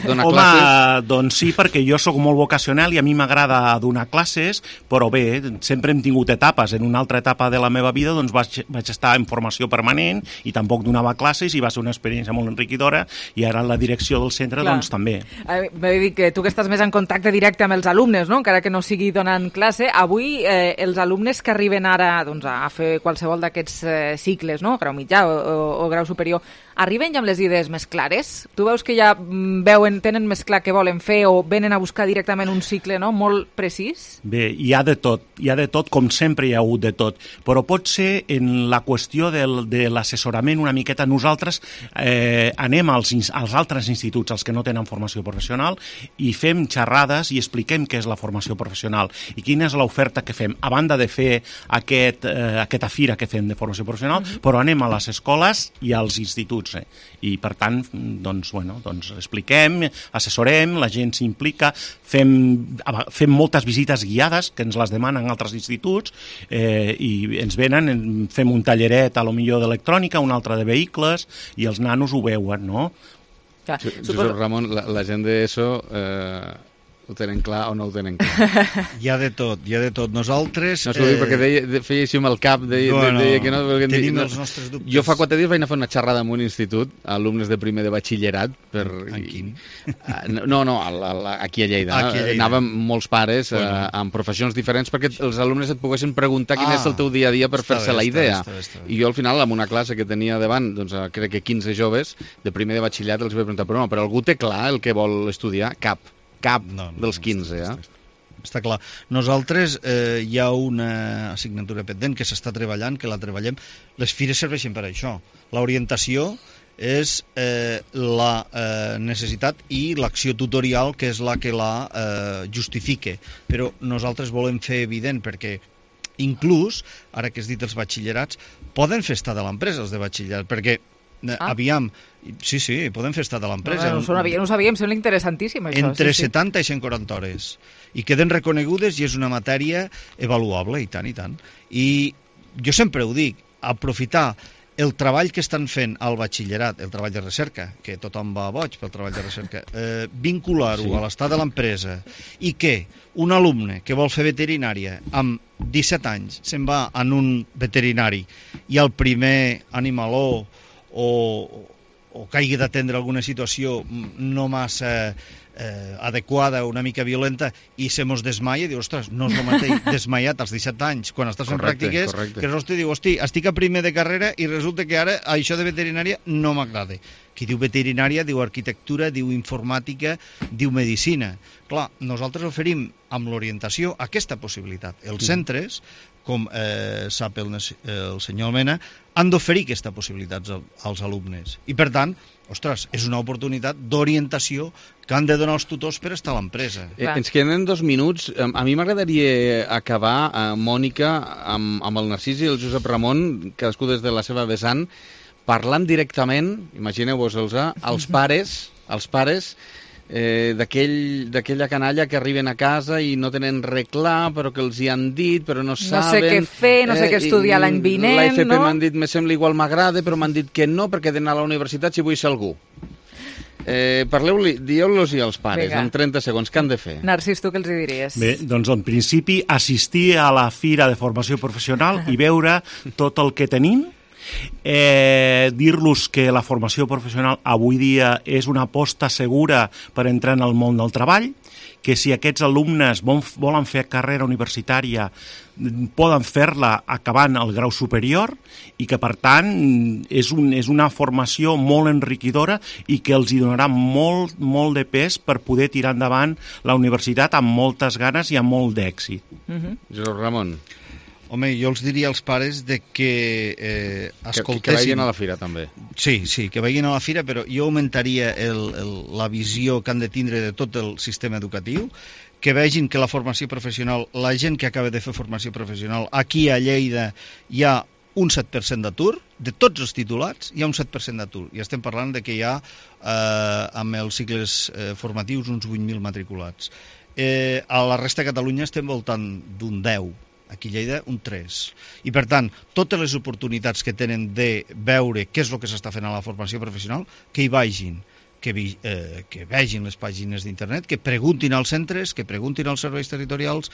Speaker 15: donar
Speaker 16: classes? Home, doncs sí, perquè jo sóc molt vocacional i a mi m'agrada donar classes, però bé, sempre hem tingut etapes. En una altra etapa de la meva vida doncs vaig estar en formació permanent i tampoc donava classes i va ser una experiència molt enriquidora i ara en la direcció del centre doncs també.
Speaker 3: M'he dit que tu que estàs més en contacte directe amb els alumnes, no? Encara que no sigui donant classe, avui els alumnes que arriben ara doncs, a fer qualsevol d'aquests cicles, no? Grau mitjà o grau superior, arriben ja amb les idees més clares? Tu veus que ja tenen més clar què volen fer o venen a buscar directament un cicle, no? Molt precís?
Speaker 16: Bé, hi ha de tot, com sempre hi ha hagut de tot, però pot ser en la qüestió de l'assessorament una miqueta. Nosaltres anem als altres instituts, els que no tenen formació professional, i fem xerrades i expliquem què és la formació professional i quina és l'oferta que fem, a banda de fer aquesta fira que fem de formació professional, però anem a les escoles i als instituts. I per tant, doncs expliquem, assessorem, la gent s'implica, fem moltes visites guiades que ens les demanen altres instituts i ens venen, fem un talleret a lo millor d'electrònica, un altre de vehicles i els nanos ho veuen, no?
Speaker 15: Josep Ramon, la gent d'ESO ho tenen clar o no ho tenen clar.
Speaker 14: Hi ha de tot, hi ha de tot. Nosaltres...
Speaker 15: No s'ho dic perquè feia així amb el cap, deia que no...
Speaker 14: Tenim els nostres dubtes.
Speaker 15: Jo fa 4 dies vaig anar a fer una xerrada en un institut, alumnes de primer de batxillerat.
Speaker 14: En quin?
Speaker 15: No, aquí a Lleida. Anàvem molts pares amb professions diferents perquè els alumnes et poguessin preguntar quin és el teu dia a dia per fer-se la idea. I jo al final, en una classe que tenia davant, doncs crec que 15 joves de primer de batxillerat, els vaig preguntar, però algú té clar el que vol estudiar? Cap dels 15,
Speaker 14: Està clar. Nosaltres hi ha una assignatura pendent que s'està treballant, que la treballem. Les fires serveixen per això. L'orientació és la necessitat i l'acció tutorial, que és la que la justifica. Però nosaltres volem fer evident, perquè inclús, ara que has dit els batxillerats, poden fer estar de l'empresa els de batxillerat, perquè aviam, sí, poden fer estar de l'empresa.
Speaker 3: No ho sabíem, sembla interessantíssim això.
Speaker 14: Entre 70 i 140 hores. I queden reconegudes i és una matèria avaluable, i tant, i tant. I jo sempre ho dic, aprofitar el treball que estan fent al batxillerat, el treball de recerca, que tothom va boig pel treball de recerca, vincular-ho a l'estat de l'empresa, i que un alumne que vol fer veterinària amb 17 anys se'n va en un veterinari i el primer animaló o caigui d'atendre alguna situació no massa adequada, una mica violenta, i se mos desmaia i diu, ostres, no és el mateix desmaiat als 17 anys quan estàs fent pràctiques, que l'hosti diu, hosti, estic a primer de carrera i resulta que ara això de veterinària no m'agrada. Qui diu veterinària diu arquitectura, diu informàtica, diu medicina. Clar, nosaltres oferim amb l'orientació aquesta possibilitat. Els centres, com sap el senyor Almena, han d'oferir aquesta possibilitat als alumnes. I per tant, ostres, és una oportunitat d'orientació que han de donar els tutors per estar a l'empresa.
Speaker 15: Ens queden 2 minuts. A mi m'agradaria acabar, Mònica, amb el Narcís i el Josep Ramon, cadascú des de la seva vessant, parlant directament, imagineu-vos-els, als pares d'aquella canalla que arriben a casa i no tenen res clar, però que els hi han dit, però no saben...
Speaker 3: No sé què fer, no sé què estudiar l'any vinent, no?
Speaker 15: L'AFP m'han dit, me sembla igual m'agrada, però m'han dit que no, perquè he d'anar a la universitat si vull ser algú. Dieu-los-hi als pares, en 30 segons, què han de fer?
Speaker 3: Narcís, tu què els diries?
Speaker 16: Bé, doncs en principi assistir a la Fira de Formació Professional i veure tot el que tenim, dir-los que la formació professional avui dia és una aposta segura per entrar en el món del treball, que si aquests alumnes volen fer carrera universitària poden fer-la acabant el grau superior i que per tant és una formació molt enriquidora i que els hi donarà molt de pes per poder tirar endavant la universitat amb moltes ganes i amb molt d'èxit.
Speaker 15: Josep Ramon.
Speaker 14: Home, jo els diria als pares de que escoltessin...
Speaker 15: Que vagin a la fira, també.
Speaker 14: Sí, que vagin a la fira, però jo augmentaria la visió que han de tindre de tot el sistema educatiu, que vegin que la formació professional, la gent que acaba de fer formació professional, aquí a Lleida hi ha un 7% d'atur, de tots els titulats hi ha un 7% d'atur, i estem parlant de que hi ha amb els cicles formatius uns 8.000 matriculats. A la resta de Catalunya estem voltant d'un 10%, aquí a Lleida un 3. I per tant, totes les oportunitats que tenen de veure què és el que s'està fent a la formació professional, que hi vagin, que vegin les pàgines d'internet, que preguntin als centres, que preguntin als serveis territorials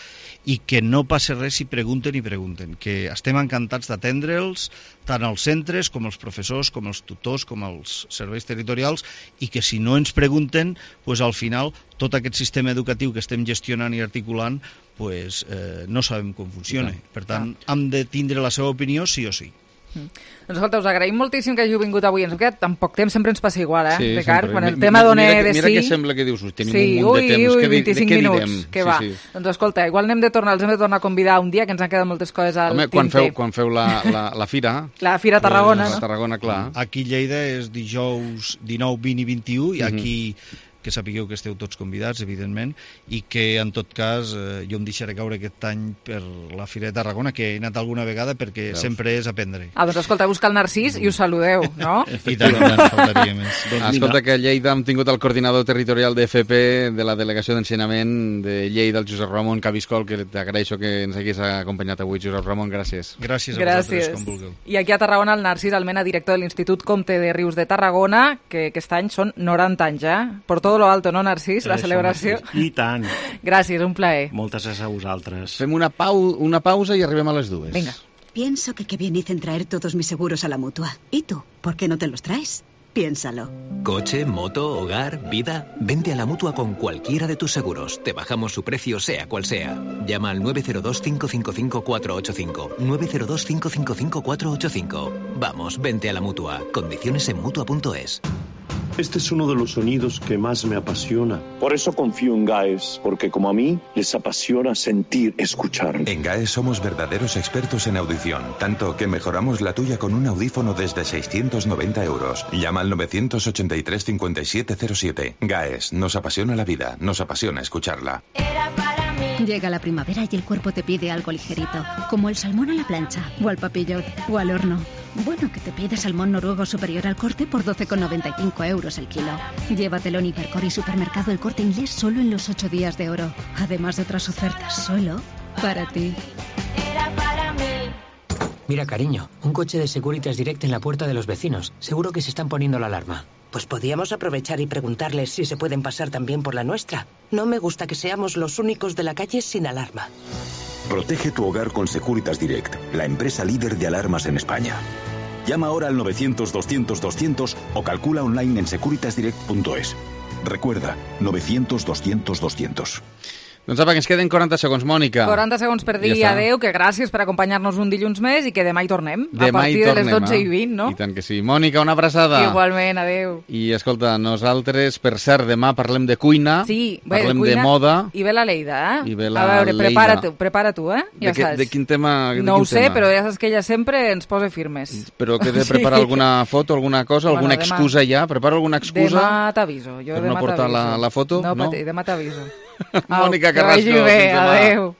Speaker 14: i que no passa res si pregunten i pregunten, que estem encantats d'atendre'ls tant als centres com als professors, com als tutors, com als serveis territorials, i que si no ens pregunten, pues, al final tot aquest sistema educatiu que estem gestionant i articulant pues, no sabem com funciona. Per tant, hem de tindre la seva opinió sí o sí.
Speaker 3: Doncs escolta, us agraïm moltíssim que hàgiu vingut avui. Ens hem quedat tan poc temps, sempre ens passa igual,
Speaker 15: sí,
Speaker 3: Ricard?
Speaker 15: Sempre.
Speaker 3: Quan el tema dona de sí...
Speaker 15: Mira que sembla que dius, tenim un munt de temps.
Speaker 3: 25 minuts, que va.
Speaker 15: Sí.
Speaker 3: Doncs escolta, igual els hem de tornar a convidar un dia, que ens han quedat moltes coses al tinter.
Speaker 15: Quan feu la fira...
Speaker 3: La Fira a Tarragona, no?
Speaker 15: A Tarragona, clar.
Speaker 14: Aquí a Lleida és dijous 19, 20 i 21, i aquí... que sapigueu que esteu tots convidats, evidentment, i que, en tot cas, jo em deixaré caure aquest any per la Fira de Tarragona, que he anat alguna vegada perquè sempre és aprendre.
Speaker 3: Doncs escolta, busca el Narcís i us saludeu, no?
Speaker 14: I tant, faltaria més.
Speaker 15: Escolta, que a Lleida hem tingut el coordinador territorial d'FP de la Delegació d'Ensenyament de Lleida, el Josep Ramon Cabiscol, que t'agraeixo que ens haguis acompanyat avui. Josep Ramon, gràcies.
Speaker 14: Gràcies a vosaltres, com vulgueu.
Speaker 3: I aquí a Tarragona el Narcís Almena, director de l'Institut Comte de Rius de Tarragona, que aquest any són 90 anys, per tot todo lo alto, no, Narcís? La celebració.
Speaker 16: I tant.
Speaker 3: Gràcies, un plaer.
Speaker 16: Moltes gràcies a vosaltres.
Speaker 15: Fem una pausa i arribem a les 2.
Speaker 3: Venga.
Speaker 17: Pienso que qué bien hice en traer todos mis seguros a la Mutua. ¿Y tú? ¿Por qué no te los traes? Piénsalo.
Speaker 18: Coche, moto, hogar, vida. Vente a la Mutua con cualquiera de tus seguros. Te bajamos su precio sea cual sea. Llama al 902-555-485. 902-555-485. Vamos, vente a la Mutua. Condiciones en Mutua.es.
Speaker 19: Este es uno de los sonidos que más me apasiona. Por eso confío en GAES, porque como a mí, les apasiona sentir, escuchar.
Speaker 21: En GAES somos verdaderos expertos en audición, tanto que mejoramos la tuya con un audífono desde 690 €. Llama al 983-5707. GAES, nos apasiona la vida, nos apasiona escucharla.
Speaker 22: Llega la primavera y el cuerpo te pide algo ligerito, como el salmón a la plancha, o al papillot, o al horno. Bueno, que te pide salmón noruego superior al corte por 12,95 € el kilo. Llévatelo en Hipercor y Supermercado El Corte Inglés solo en los 8 días de oro. Además de otras ofertas, solo para ti.
Speaker 24: Mira, cariño, un coche de Securitas Direct en la puerta de los vecinos. Seguro que se están poniendo la alarma.
Speaker 25: Pues podíamos aprovechar y preguntarles si se pueden pasar también por la nuestra. No me gusta que seamos los únicos de la calle sin alarma.
Speaker 26: Protege tu hogar con Securitas Direct, la empresa líder de alarmas en España. Llama ahora al 900-200-200 o calcula online en securitasdirect.es. Recuerda, 900-200-200.
Speaker 15: Doncs apa, que ens queden 40 segons, Mònica.
Speaker 3: 40 segons per dir adeu, que gràcies per acompanyar-nos un dilluns més i que demà hi tornem. A partir de les 12:20, no?
Speaker 15: I tant que sí. Mònica, una abraçada.
Speaker 3: Igualment, adeu.
Speaker 15: I escolta, nosaltres, per cert, demà parlem de cuina,
Speaker 3: sí,
Speaker 15: parlem de moda.
Speaker 3: I ve la Leida,
Speaker 15: I ve la
Speaker 3: a veure,
Speaker 15: Leida.
Speaker 3: prepara tu, Ja saps.
Speaker 15: De quin tema?
Speaker 3: No ho sé, però ja saps que ella sempre ens posa firmes.
Speaker 15: Però que he de preparar alguna foto, alguna cosa, alguna excusa ja? Preparo alguna excusa?
Speaker 3: Demà t'aviso.
Speaker 15: Per no portar la foto?
Speaker 3: No, demà t'aviso.
Speaker 15: Mònica Carrasco,
Speaker 3: que vagi bé, adeu.